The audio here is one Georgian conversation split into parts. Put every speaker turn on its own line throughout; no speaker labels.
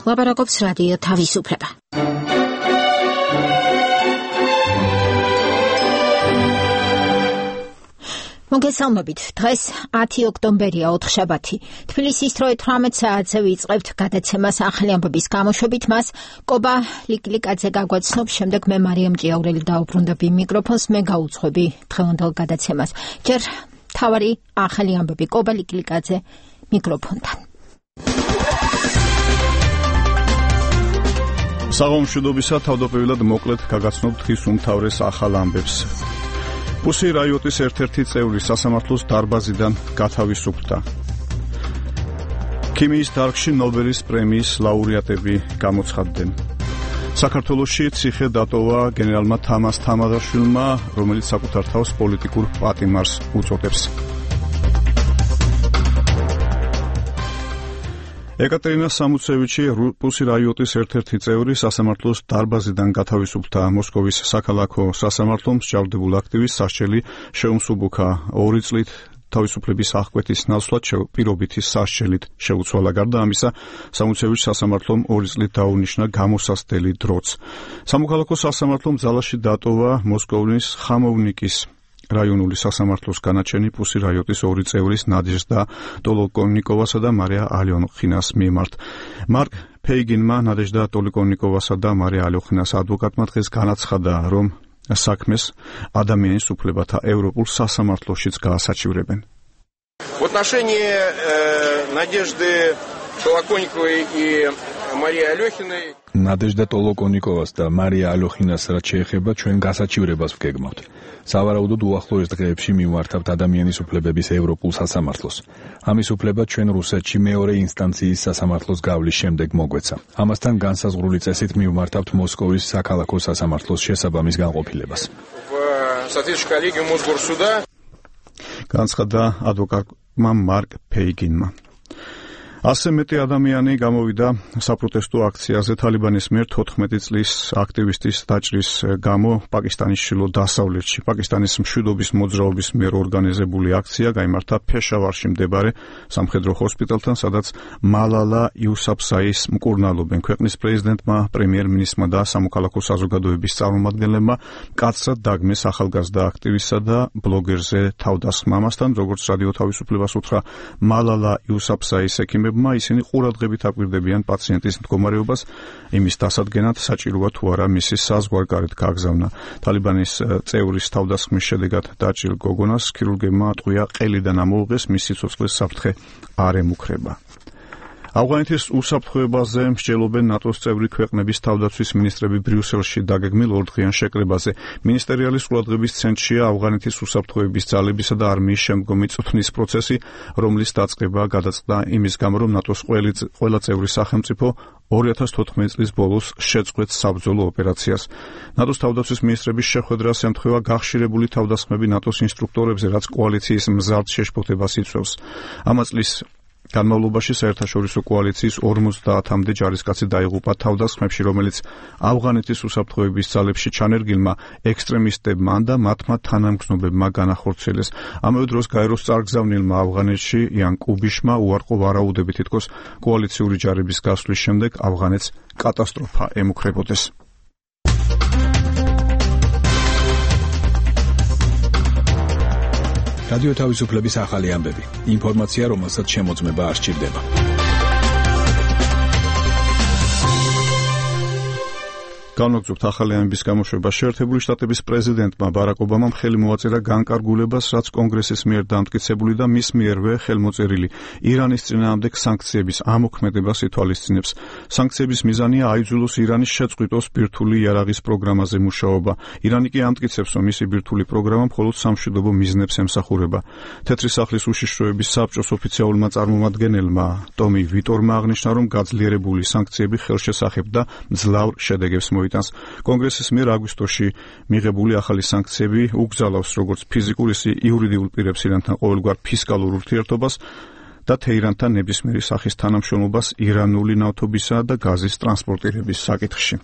ლაპარაკობს რადიო თავისუფლება. მოგესალმებით. დღეს 10 ოქტომბერია, ოთხშაბათი. თბილისის დროით 18 საათზე ვიწყებთ გადაცემას ახალი ამბების გამოშვებით. მას კობა ლიკლიკაძე გაგვაცნობს, შემდეგ მე მარიამ ჭიაურელი დაუბრუნდები მიკროფონს, მე გაუძღვები დღევანდელ გადაცემას. ჯერ თავარი ახალი ამბები კობა ლიკლიკაძე მიკროფონთან.
საღამომშვიდობისა, თავდაპირველად მოკლედ გაგაცნობ დღის უმთავრეს ახალ ამბებს. პუსი რაიოტის ერთ-ერთი წევრი სასამართლოს დარბაზიდან გათავისუფლდა. ქიმიის დარგში ნობელის პრემიის ლაურეატები გამოცხადდნენ. საქართველოში ციხე დატოვა გენერალმა თამას თამაზაშვილმა, რომელიც საკუთარ თავს პოლიტიკურ პატიმარს უწოდებს. ეკატერინა სამუცევიჩი, პუსი რაიოტის ერთ-ერთი წევრი, სასამართლოს დარბაზიდან გათავისუფლდა. მოსკოვის საქალაქო სასამართლომ მსჯავრდებულ აქტივის სასჯელი შეუმსუბუქა. 2 წლით თავისუფლების აღკვეთის ნაცვლად პირობითი სასჯელით შეუცვალა. გარდა ამისა, სამუცევიჩს სასამართლომ 2 წლით დაუნიშნა გამოსასწრელი დროც. სამოქალაქო სასამართლომ ძალაში დატოვა მოსკოვის ხამოვნიკის რაიონული სასამართლოს განაჩენი პუსი რაიოტის 2 წევრის ნადეჟდა ტოლოკონიკოვასა და მარია ალიონხინას მიმართ. მარკ ფეიგინმა ნადეჟდა ტოლოკონიკოვასა და მარია ალიონხინას ადვოკატმა დღეს განაცხადა, რომ საქმეს ადამიანის უფლებათა ევროპულ სასამართლოშიც გაასაჩივრებენ.
В отношении Надежды Толоконниковой и Марии Алёхиной
ნადეჟდა ტოლოკონიკოვას და მარია ალიონხინას რაც შეეხება ჩვენ გასაჩივრებას ვგეგმავთ. სავარაუდოდ უახლოეს დღეებში მივმართავთ ადამიანის უფლებების ევროპულ სასამართლოს. ამის უფლება ჩვენ რუსეთში მეორე ინსტანციის სასამართლოს გავლის შემდეგ მოგვეცა. ამასთან განსაზღვრული წესით მივმართავთ მოსკოვის საქალაქო სასამართლოს შესაბამის განყოფილებას.
განცხადა ადვოკატმა მარკ ფეიგინმა. ასე მეტი ადამიანი გამოვიდა საპროტესტო აქციაზე თალიბანის მიერ 14 წლის აქტივისტის დაჭრის გამო პაკისტანის შილო დასავლეთში. პაკისტანის მშვიდობის მოძრაობის მიერ ორგანიზებული აქცია გაიმართა ფეშავარში მდებარე სამხედრო ჰოსპიტალთან, სადაც მალალა იუსაფზაის მკურნალობენ. ქვეყნის პრეზიდენტმა, პრემიერ-მინისტრმა და სამოქალაქო საზოგადოების წარმომადგენლებმა კაცრად დაგმეს ახალგაზრდა აქტივისტსა და ბლოგერზე თავდასხმა. ამასთან, როგორც რადიო თავისუფლებას უთხრა მალალა იუსაფზაის ექიმებმა, ისინი ყურადღებით აკვირდებიან პაციენტის მდგომარეობას, იმის დასადგენად საჭიროა თუ არა მისი საზღვარგარეთ გაგზავნა. თალიბანის წევრის თავდასხმის შედეგად დაჭრილ გოგონას ქირურგებმა ატყვია ყელიდან ამოუღეს, მის სიცოცხლეს საფრთხე არ ემუქრება. ავღანეთის უსაფრთხოებაზე მსჯელობენ ნატოს წევრი ქვეყნების თავდაცვის მინისტრები ბრიუსელში დაგეგმილ 2 დღიან შეკრებაზე. მინისტერიალის ყურადღების ცენტრშია ავღანეთის უსაფრთხოების ძალებისა და არმიის შემდგომი წვრთნის პროცესი, რომლის დაწყება გადაწყდა იმის გამო, რომ ნატოს ყველა წევრი სახელმწიფო 2014 წლის ბოლოს შეწყვეტს საბრძოლო ოპერაციას. ნატოს თავდაცვის მინისტრების შეხვედრას ემთხვევა გახშირებული თავდასხმები ნატოს ინსტრუქტორებზე, რაც კოალიციის მზარდ შეშფოთებას იწვევს. ამა წლის განმავლობაში საერთაშორისო კოალიციის 50-მდე ჯარისკაცი დაიღუპა თავდასხმებში, რომელიც ავღანეთის უსაფრთხოების ძალებში ჩანერგილმა ექსტრემისტებმა და მათმა თანამგზნობებმა განახორციელეს. ამავე დროს გაეროს წარგზავნილმა ავღანეთში იან კუბიშმა უარყო ვარაუდები, თითქოს კოალიციური ჯარების გასვლის შემდეგ ავღანეთს კატასტროფა ემუქრებოდეს.
რადიო თავისუფლების ახალი ამბები. ინფორმაცია, რომელსაც შემოწმება არ სჭირდება.
განვაგრძობთ ახალი ამბების გამოშვება. შეერთებული შტატების პრეზიდენტმა ბარაკ ობამამ ხელი მოაწერა განკარგულებას, რაც კონგრესის მიერ დამტკიცებული და მის მიერვე ხელმოწერილი ირანის წინააღმდეგ სანქციების ამოქმედებას ითვალისწინებს. სანქციების მიზანია აიძულოს ირანის შეწყვიტოს ბირთვული იარაღის პროგრამაზე მუშაობა. ირანი კი ამტკიცებს, რომ მისი ბირთვული პროგრამა მხოლოდ სამშვიდობო მიზნებს ემსახურება. თეთრი სახლის უშიშროების საბჭოს ოფიციალურმა წარმომადგენელმა ტომი ვიტორმა აღნიშნა, რომ გაძლიერებული სანქციები ხელშესახებ და მძლავრ შედეგებს მოიტანს. კონგრესის მიერ აგვისტოში მიღებული ახალი სანქციები უგზალავს როგორც ფიზიკურ, ისე იურიდიულ პირებს ირანთან ყოველგვარ ფისკალურ ურთიერთობას და თეირანთან ნებისმიერი სახის თანამშრომლობას ირანული ნავთობისა და გაზის ტრანსპორტირების საკითხში.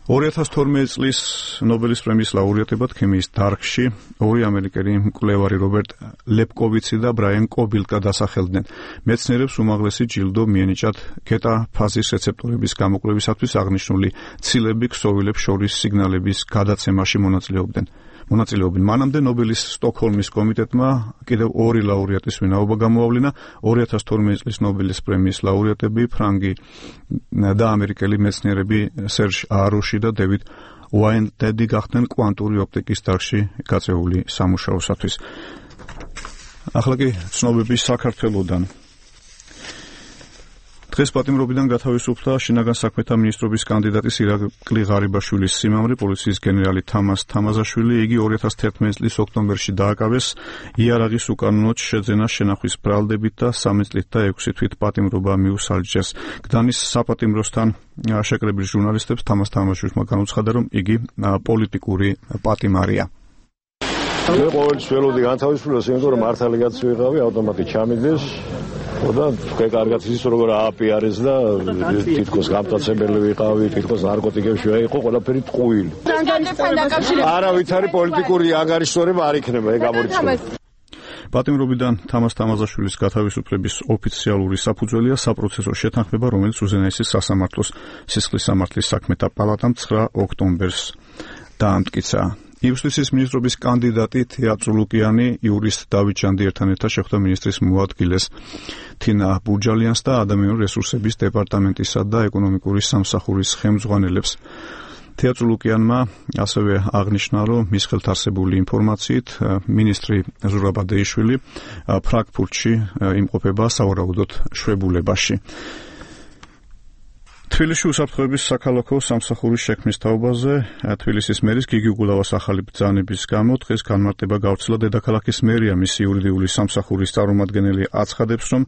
2012 წლის ნობელის პრემიის ლაურეატებად ქიმიის დარგში ორი ამერიკელი მკვლევარი რობერტ ლეპკოვიცი და ბრაიან კობილკა დასახელდნენ. მეცნიერებს უმაღლესი ჯილდო მიენიჭათ გეტა ფაზის რეცეპტორების გამოკვლევისათვის აღნიშნული ცილები ქსოვილებს შორის სიგნალების გადაცემაში მონაწილეობდნენ. მანამდე ნობელის სტოკჰოლმის კომიტეტმა კიდევ ორი ლაურეატის ვინაობა გამოავლინა. 2012 წლის ნობელის პრემიის ლაურეატები ფრანგი და ამერიკელი მეცნიერები სერჟ აროში და დევიდ უაინტედი გახდნენ კვანტური ოპტიკის დარგში გაწეული სამუშაოსათვის. ახლა კი ცნობები საქართველოდან. დღეს პატიმრობიდან გათავისუფლდა შინაგან საქმეთა მინისტრობის კანდიდატის ირაკლი ღარიბაშვილის სიმამრი, პოლიციის გენერალი თამას თამაზაშვილი. იგი 2011 წლის ოქტომბერში დააკავეს იარაღის უკანონოდ შეძენა შენახვის ბრალდებით და 3 წლით და 6 თვით პატიმრობა მიუსალჯეს. გდანის საპატიმროსთან შეკრებილ ჟურნალისტებს თამას თამაზაშვილმა განუცხადა, რომ იგი პოლიტიკური პატიმარია.
მე ყოველთვის ველოდი განთავისუფლებას, იმიტომ რომ მართალი კაცი ვიყავი, ავტომატი ჩამიდეს და თქვენ კარგად ის როგორ ააპიარეს და თითქოს გამტაცებელი ვიყავი, თითქოს ნარკოტიკებში ვიყო, ყველაფერი ტყუილი. არავით არის პოლიტიკური ანგარიშტორება არ იქნება, ეგ გამორიცხული.
პატიმრობიდან თამას თამაზაშვილის გათავისუფლების ოფიციალური საფუძველია საპროცესო შეთანხმება, რომელიც უზენაესის სასამართლოს სისხლის სამართლის საქმეთა პალატამ 9 ოქტომბერს დაამტკიცა. იუსტიციის მინისტრობის კანდიდატი თეა წულუკიანი იურისტ დავით ჭანდიერთან ერთად შეხვდა მინისტრის მოადგილეს თინა ბურჯალიანს და ადამიანური რესურსების დეპარტამენტისა და ეკონომიკური სამსახურის ხელმძღვანელებს. თეა წულუკიანმა ასევე აღნიშნა, რომ მის ხელთ არსებული ინფორმაციით მინისტრი ზურაბ ადეიშვილი ფრანკფურტში იმყოფება სავარაუდოდ შვებულებაში. თბილისში უსაფრთხოების საქალაქო სამსახურის შექმნის თაობაზე თბილისის მერის გიგი უგულავას ახალი ბრძანების გამო დღეს განმარტება გავრცელა დედაქალაქის მერია. მისი იურიდიული სამსახურის წარმომადგენელი აცხადებს, რომ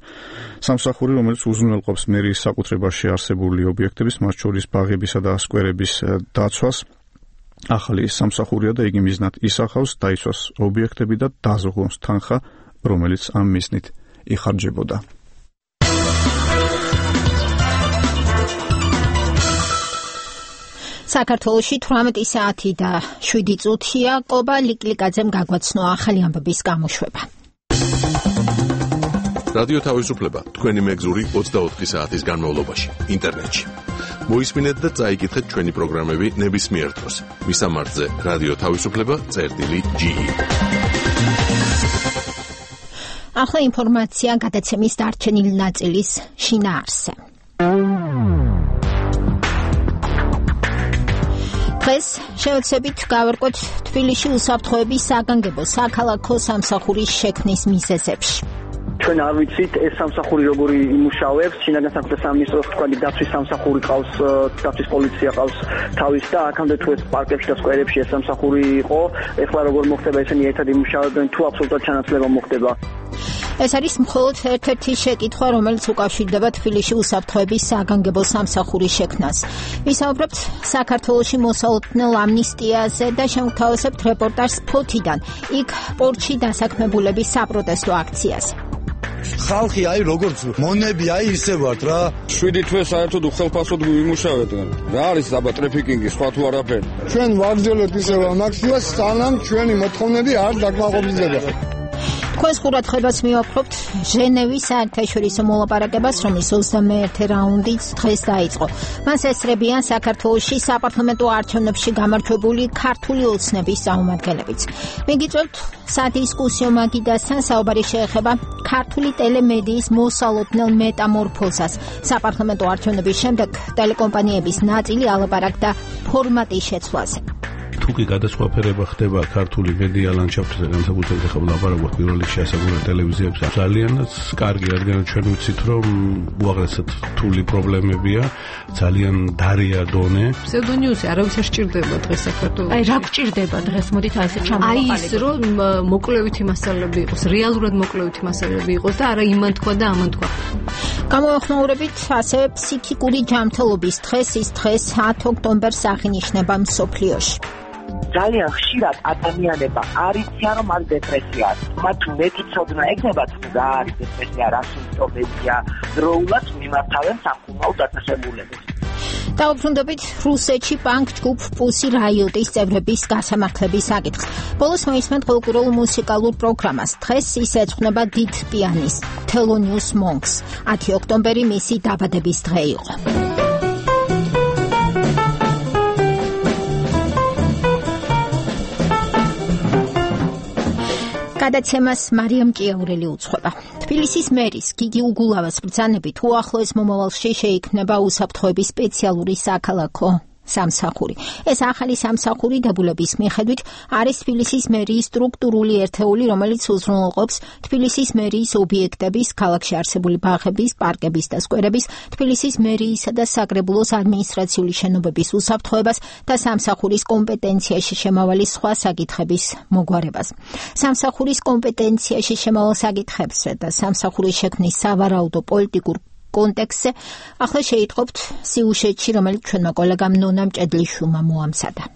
სამსახური, რომელიც უზრუნველყოფს მერიის საკუთრებაში არსებული ობიექტების, მათ შორის ბაღებისა და სკვერების დაცვას, ახალი სამსახურია და იგი მიზნად ისახავს დაიცვას ობიექტები და დაზღვოს თანხა, რომელიც ამ მიზნით იხარჯებოდა.
საქართველოში 18 საათი და 7 წუთია. კობა ლიკლიკაძემ გაგვაცნო ახალი ამბების გამოშვება.
რადიო თავისუფლება თქვენი მეგზური 24 საათის განმავლობაში ინტერნეტში. მოისმინეთ და წაიკითხეთ ჩვენი პროგრამები ნებისმიერ დროს. მისამართზე რადიო თავისუფლება.ge.
ახლა ინფორმაცია გადაცემის დარჩენილი ნაწილის შინაარსზე. დღეს შევეცდებით გავერკვოთ თბილისში უსაფრთხოების საგანგებო საქალაქო სამსახურის შექმნის მიზეზებში.
ჩვენ არ ვიცით ეს სამსახური როგორი იმუშავებს. შინაგან საქმეთა სამინისტროს თქვენი დაცვის სამსახური ყავს, დაცვის პოლიცია ყავს თავის და აქამდე თუ ეს პარკებში და სკვერებში ეს სამსახური იყო, ეხლა როგორ მოხდება ესენი ერთად იმუშავებენ თუ აბსოლუტურად ჩანაცვლება მოხდება.
ეს არის მხოლოდ ერთ-ერთი შეკითხვა, რომელიც უკავშირდება თბილისში უსაფრთხოების საგანგებო სამსახურის შექმნას. ვისაუბრებთ საქართველოში მოსალოდნელ ამნისტიაზე და შევთავაზებთ რეპორტაჟს ფოთიდან, იქ პორტში დასაქმებულების საპროტესტო აქციაზე.
ხალხი აი როგორც მონები აი ისე ვართ რა.
7 თვე საერთოდ უხელფასოდ ვიმუშავეთ. რა არის აბა ტრაფიკინგი, სხვა თუ არაფერი.
ჩვენ ვაგრძელებთ ისევ ამაქციას, სანამ ჩვენი მოთხოვნები არ დაკმაყოფილდება.
Თქვენს ყურადღებას მივაფრობთ ჟენევის საერთაშორისო მოლაპარაკებას, რომლის 21 რაუნდიც დღეს დაიწყო. მას ესწრებიან საქართველოში საპარლამენტო არჩევნებში გამარჯვებული ქართული ოცნების წარმომადგენლებიც. მიგიწევთ სადისკუსიო მაგიდასთან საუბარი შეეხება ქართული ტელემედიის მოსალოდნელ მეტამორფოზას. საპარლამენტო არჩევნების შემდეგ ტელეკომპანიების ნაწილი ალაპარაკდა ფორმატის შეცვლაზე.
თუკი გადასხვაფერება ხდება ქართული მედია ლანდშაფტზე, განსაკუთრებით ახლა ვლაპარაკობთ პირველ რიგში ასაკურა ტელევიზიებზე, ძალიანაც კარგი, რადგან ჩვენ ვიცით, რომ უაღრესად რთული პრობლემებია, ძალიან დარია დონე.
ფსევდონიუსი არავის არ სჭირდება დღეს საქართველოში.
აი რა გჭირდება დღეს, მოდით ასე ჩამოვაყალიბოთ.
აი ის რომ მოკლევითი მასალები იყოს, რეალურად მოკლევითი მასალები იყოს და არა იმან თქვა და ამან თქვა.
გამოვეხმაურებით ასევე ფსიქიკური ჯანმრთელობის დღეს, ის დღეს 10 ოქტომბერს აღინიშნება მსოფლიოში.
ძალიან ხშირად ადამიანება არ იციან, რომ არის დეპრესია. მათ მეტი ცოდნა ეგნებათ, რა არის დეპრესია, რა სიმპტომებია, დროულად მიმართავენ სამკურნალო დაწესებულებას.
დაუბრუნდებით რუსეთში პანკ ჯგუფ პუსი რაიოტის წევრების გასამართლების საკითხს. ბოლოს მოისმენთ ფოლკლორულ მუსიკალურ პროგრამას. დღეს ის ეძღვნება დიდ პიანის თელონიუს მონკს. 10 ოქტომბერი მისი დაბადების დღე იყო. გადაცემას მარიამ ჭიაურელი უძღვება. თბილისის მერის გიგი უგულავას ბრძანებით უახლოეს მომავალში შეიქმნება უსაფრთხოების სპეციალური საქალაქო სამსახური. ეს ახალი სამსახური დებულების მიხედვით არის თბილისის მერიის სტრუქტურული ერთეული, რომელიც უზრუნველყოფს თბილისის მერიის ობიექტების, ქალაქში არსებული ბაღების, პარკების და სკვერების, თბილისის მერიისა და საკრებულოს ადმინისტრაციული შენობების უსაფრთხოებას და სამსახურის კომპეტენციაში შემავალი სხვა საკითხების მოგვარებას. სამსახურის კომპეტენციაში შემავალ საკითხებზე და სამსახურის შექმნის სავარაუდო პოლიტიკურ კონტექსტზე ახლა შეიტყობთ სიუჟეტში, რომელიც ჩვენმა კოლეგამ ნონა მჭედლიშვილმა მოამზადა.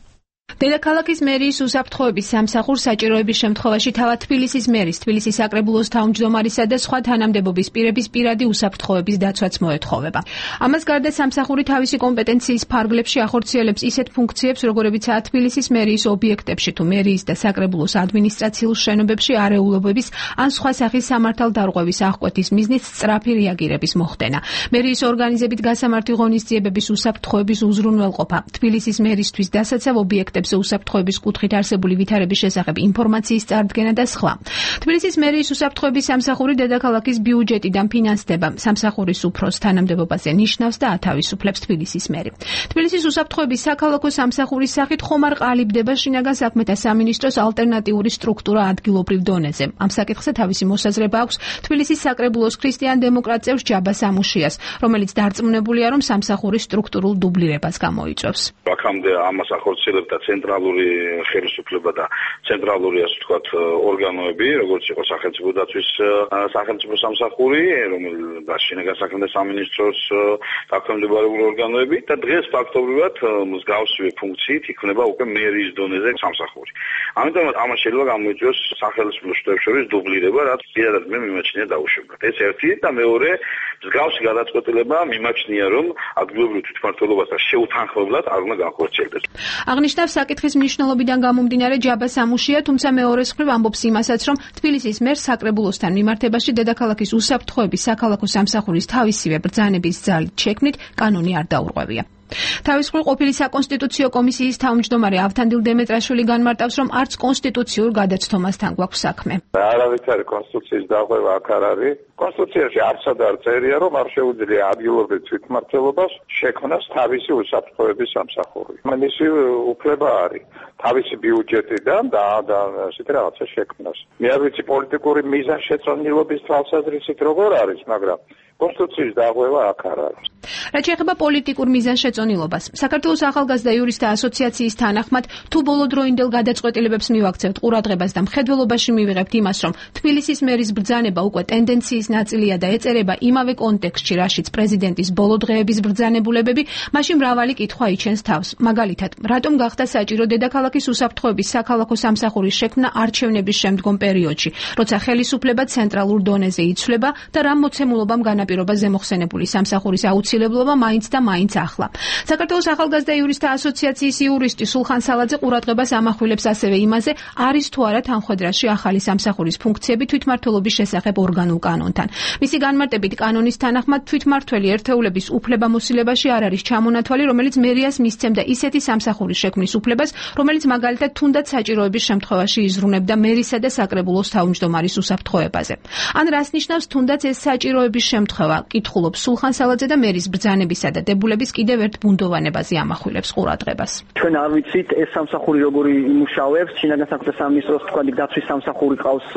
დედაქალაქის მერიის უსაფრთხოების სამსახურს საჭიროების შემთხვევაში თავად თბილისის მერის, თბილისის საკრებულოს თავმჯდომარისა და სხვა თანამდებობის პირების პირადი უსაფრთხოების დაცვაც მოეთხოვება. ამას გარდა სამსახური თავისი კომპეტენციის ფარგლებში ახორციელებს ისეთ ფუნქციებს, როგორებიცაა თბილისის მერიის ობიექტებში თუ მერიის და საკრებულოს ადმინისტრაციულ შენობებში არეულობების ან სხვა სახის სამართალდარღვევის აღკვეთის მიზნით სწრაფი რეაგირების მოხდენა. მერიის ორგანიზებით გასამართი ღონისძიებების უსაფრთხოების უზრუნველყოფა, თბილისის მერისთვის დასაცავ ობიექტებს უსაფრთხოების კუთხით არსებული ვითარების შესახებ ინფორმაციის წარდგენა და სხვა. თბილისის მერიის უსაფრთხოების სამსახური დედაქალაქის ბიუჯეტიდან ფინანსდება. სამსახურის უფროს თანამდებობაზე ნიშნავს და ათავისუფლებს თბილისის მერი. თბილისის უსაფრთხოების საქალაქო სამსახურის სახით ხომ არ ყალიბდება შინაგან საქმეთა სამინისტროს ალტერნატიული სტრუქტურა ადგილობრივ დონეზე. ამ საკითხზე თავისი მოსაზრება აქვს თბილისის საკრებულოს ქრისტიან-დემოკრატ წევრ ჯაბა სამუშიას, რომელიც დარწმუნებულია, რომ სამსახურის სტრუქტურულ დუბლირებას გამოიწვევს.
აქამდე ამას ახორციელებდა ცენტრალური ხელისუფლება და ცენტრალური, ასე ვთქვათ, ორგანოები, როგორც იყო სახელმწიფო დაცვის სახელმწიფო სამსახური, რომელიც შინაგან საქმეთა სამინისტროს დაქვემდებარებული ორგანოები და დღეს ფაქტობრივად მსგავსი ფუნქციით იქნება უკვე მერიის დონეზე სამსახური. ამიტომ ამას შეიძლება გამოიწვიოს სახელმწიფო შტოებს შორის დუბლირება, რაც პირადად მე მიმაჩნია დაუშვებლად. ეს ერთი და მეორე მსგავსი გადაწყვეტილება მიმაჩნია, რომ ადგილობრივ თვითმმართველობასთან შეუთანხმებლად არ უნდა განხორციელდეს.
აღნიშნავს საკითხის მნიშვნელობიდან გამომდინარე ჯაბა სამუშია, თუმცა მეორეს მხრივ ამბობს იმასაც, რომ თბილისის მერს საკრებულოსთან მიმართებაში დედაქალაქის უსაფრთხოების საქალაქო სამსახურის თავისივე ბრძანების ძალით შექმნით კანონი არ დაურღვევია. თავის მხრივ ყოფილი საკონსტიტუციო კომისიის თავმჯდომარე ავთანდილ დემეტრაშვილი განმარტავს, რომ არც კონსტიტუციურ გადაცდომასთან გვაქვს საქმე.
არავითარი კონსტიტუციის დაღვევა აქ არ არის. კონსტიტუციაში არცად არ წერია, რომ არ შეუძლია ადგილობრივ თვითმმართველობას შექმნას თავისი უსაფრთხოების სამსახური. მისი უფლება არის თავისი ბიუჯეტიდან და ასეთი რაღაცა შექმნას. მე არ ვიცი პოლიტიკური მიზანშეწონილობის თვალსაზრისით როგორ არის, მაგრამ კონსტიტუციის დაღვევა აქ არ არის.
რაც შეეხება პოლიტიკურ მიზანშეწონილობას, საქართველოს ახალგაზრდა იურისტთა ასოციაციის თანახმად, თუ ბოლოდროინდელ გადაწყვეტილებებს მივაქცევთ ყურადღებას და მხედველობაში მივიღებთ იმას, რომ თბილისის მერის ბრძანება უკვე ტენდენციის ნაწილია და ეწერება იმავე კონტექსტში, რაშიც პრეზიდენტის ბოლო დღეების ბრძანებულებები, მაშინ მრავალი კითხვა იჩენს თავს. მაგალითად, რატომ გახდა საჭირო დედაქალაქის უსაფრთხოების საქალაქო სამსახურის შექმნა არჩევნების შემდგომ პერიოდში, როცა ხელისუფლება ცენტრალურ დონეზე იცვლება და რა მოცემულობამ განაპირობა ზემოხსენებული სამსახურის აუცილებლობა მაინც და მაინც ახლა. საქართველოს ახალგაზრდა იურისტთა ასოციაციის იურისტი სულხან სალაძე ყურადღებას ამახვილებს ასევე იმაზე, არის თუ არა თანხმედრაში ახალი სამსახურის ფუნქციები თვითმმართველობის შესახებ ორგანულ კანონთან. მისი განმარტებით კანონის თანახმად თვითმმართველი ერთეულების უფლებამოსილებაში არ არის ჩამონათვალი, რომელიც მერიას მისცემდა ისეთი სამსახურის შექმნის უფლებას, რომელიც მაგალითად თუნდაც საჭიროების შემთხვევაში იზრუნებდა მერისა და საკრებულოს თავმჯდომარის უსაფრთხოებაზე. ან რას ნიშნავს თუნდაც ეს საჭიროების შემთხვევა? კითხულობს სულხან სალაძე და მერის ბრძანებისა და დებულების კიდევ ერთ ბუნდოვანებაზე ამახვილებს ყურადღებას.
ჩვენ არ ვიცით ეს სამსახური როგორი იმუშავებს, შინაგან საქმეთა სამინისტროს თქვა დაცვის სამსახური ყავს,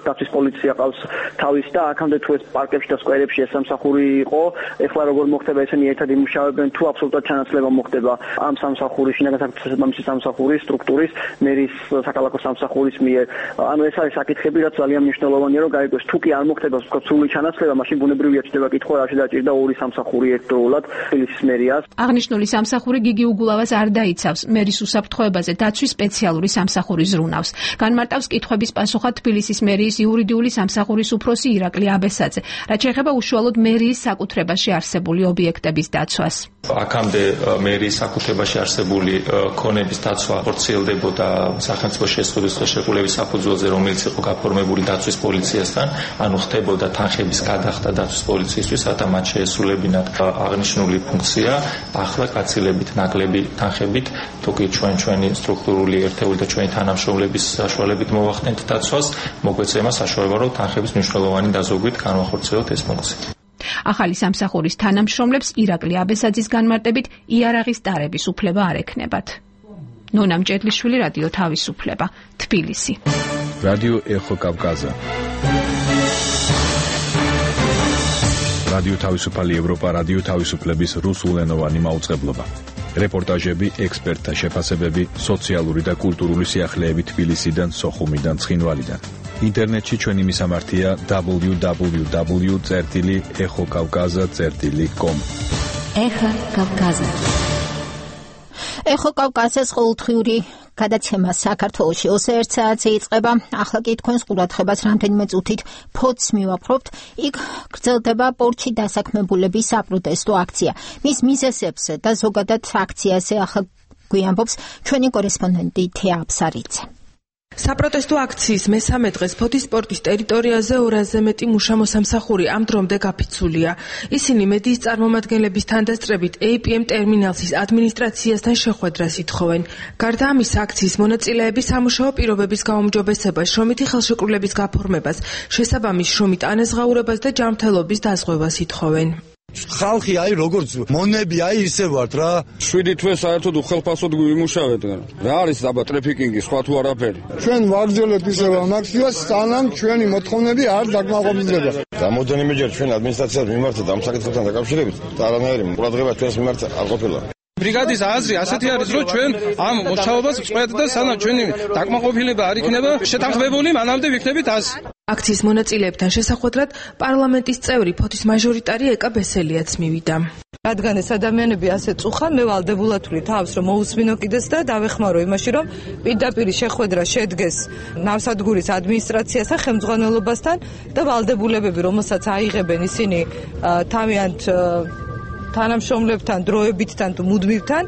დაცვის პოლიცია ყავს თავის და აქამდე თუ ეს პარკებში და სკვერებში ეს სამსახური იყო, ეხლა როგორ მოხდება ესენი ერთად იმუშავებენ, თუ აბსოლუტურად ჩანაცვლება მოხდება ამ სამსახურის, შინაგან საქმეთა სამსახურის სტრუქტურის მერის საქალაქო სამსახურის მიერ. ანუ ეს არის საკითხები, რაც ძალიან მნიშვნელოვანია, რომ გაიგოს, თუ კი არ მოხდება ვთქვათ სრული ჩანაცვლება, მაშინ ბუნებრივია ჩდება კითხვა, რა შეdaჭირდა ორი სამსახური ერთდროულად თბილისის მერიას.
აღნიშნული სამსახური გიგი უგულავას არ დაიცავს მერის უსაფრთხოებაზე დაცვის სპეციალური სამსახურის ზრუნავს. განმარტავს კითხვების პასუხად თბილისის მერიის იურიდიული სამსახურის უფროსი ირაკლი აბესაძე, რაც შეეხება უშუალოდ მერიის საკუთრებაში არსებული ობიექტების დაცვას.
აქამდე მერიის საკუთრებაში არსებული ქონების დაცვა ხორციელდებოდა სახელმწიფო შეზღუდვის ხელშეკრულების საფუძველზე, რომელიც იყო გაფორმებული დაცვის პოლიციასთან, ანუ ხდებოდა თანხების გადახდა დაცვის პოლიციისთვის, რათა მათ შეესრულებინათ აღნიშნული ფუნქცია. ახლა გაცილებით ნაკლები თანხებით, თუკი ჩვენი სტრუქტურული ერთეული და ჩვენი თანამშრომლების საშუალებით მოვახდენთ დაცვას, მოგვეცემა საშუალება, რომ თანხების მნიშვნელოვანი დაზოგვით განვახორციელოთ ეს ფუნქცია.
ახალი სამსახურის თანამშრომლებს ირაკლი აბესაძის განმარტებით იარაღის დარების უფლება არ ექნებათ. ნონა მჭედლიშვილი, რადიო თავისუფლება, თბილისი.
რადიო ეხო კავკაზა. რადიო თავისუფალი ევროპა, რადიო თავისუფლების რუსულენოვანი მაუწყებლობა. რეპორტაჟები, ექსპერტთა შეფასებები, სოციალური და კულტურული სიახლეები თბილისიდან, სოხუმიდან, ცხინვალიდან. ინტერნეტში ჩვენი მისამართია www.exokavkaza.com.
ეხა კავკაზა. ეხო კავკაზას ყოველდღიური გადაცემა საქართველოში 21 საათზე იწყება. ახლა კი თქვენს ყურადღებას რამდენიმე წუთით ფოთს მივაპყრობთ. იქ გრძელდება პორტში დასაქმებულების საპროტესტო აქცია. მის მიზეზებზე და ზოგადად აქციაზე ახლა გვიამბობს ჩვენი კორესპონდენტი თეა აბსარიძე.
საპროტესტო აქციის მესამე დღეს ფოთის სპორტის ტერიტორიაზე 200-ზე მეტი მუშა-მოსამსახური ამ დრომდე გაფიცულია. ისინი მედიის წარმომადგენლების თანდასწრებით APM ტერმინალსის ადმინისტრაციასთან შეხვედრას ითხოვენ. გარდა ამისა, აქციის მონაწილეები სამუშაო პირობების გაუმჯობესებას, შრომითი ხელშეკრულების გაფორმებას, შესაბამის შრომით ანაზღაურებას და ჯანმრთელობის დაზღვევას ითხოვენ.
ხალხი აი როგორც მონები აი ისე ვართ რა.
7 თვე საერთოდ უხელფასოდ გვიმუშავეთ. რა არის აბა ტრაფიკინგი, სხვა თუ არაფერი.
ჩვენ ვაგრძელებთ ისევ ამ აქციას, სანამ ჩვენი მოთხოვნები არ დაკმაყოფილდება.
რამოდენიმეჯერ ჩვენ ადმინისტრაციას მიმართეთ ამ საკითხთან დაკავშირებით, არანაირი ყურადღება ჩვენს მიმართ არ ყოფილა.
ბრიგადის აზრი ასეთი არის, რომ ჩვენ ამ მოშავებას ვწყვეტ და სანამ ჩვენი დაკმაყოფილება არ იქნება შეთანხმებული, მანამდე ვიქნებით ას.
აქციის მონაწილეებთან შესახვედრად პარლამენტის წევრი ფოთის მაჟორიტარი ეკა ბესელიაც მივიდა.
რადგან ეს ადამიანები ასე წუხან, მე ვალდებულად ვთვლი თავს, რომ მოусმინო კიდეც და დავეხმარო იმაში, რომ პირდაპირ შეხვედრა შედგეს ნავსადგურის ადმინისტრაციასთან, ხელმძღვანელობასთან და ვალდებულებები, რომელსაც აიღებენ ისინი თავიანთ თანამშრომლებთან, დროებითთან თუ მუდმივთან,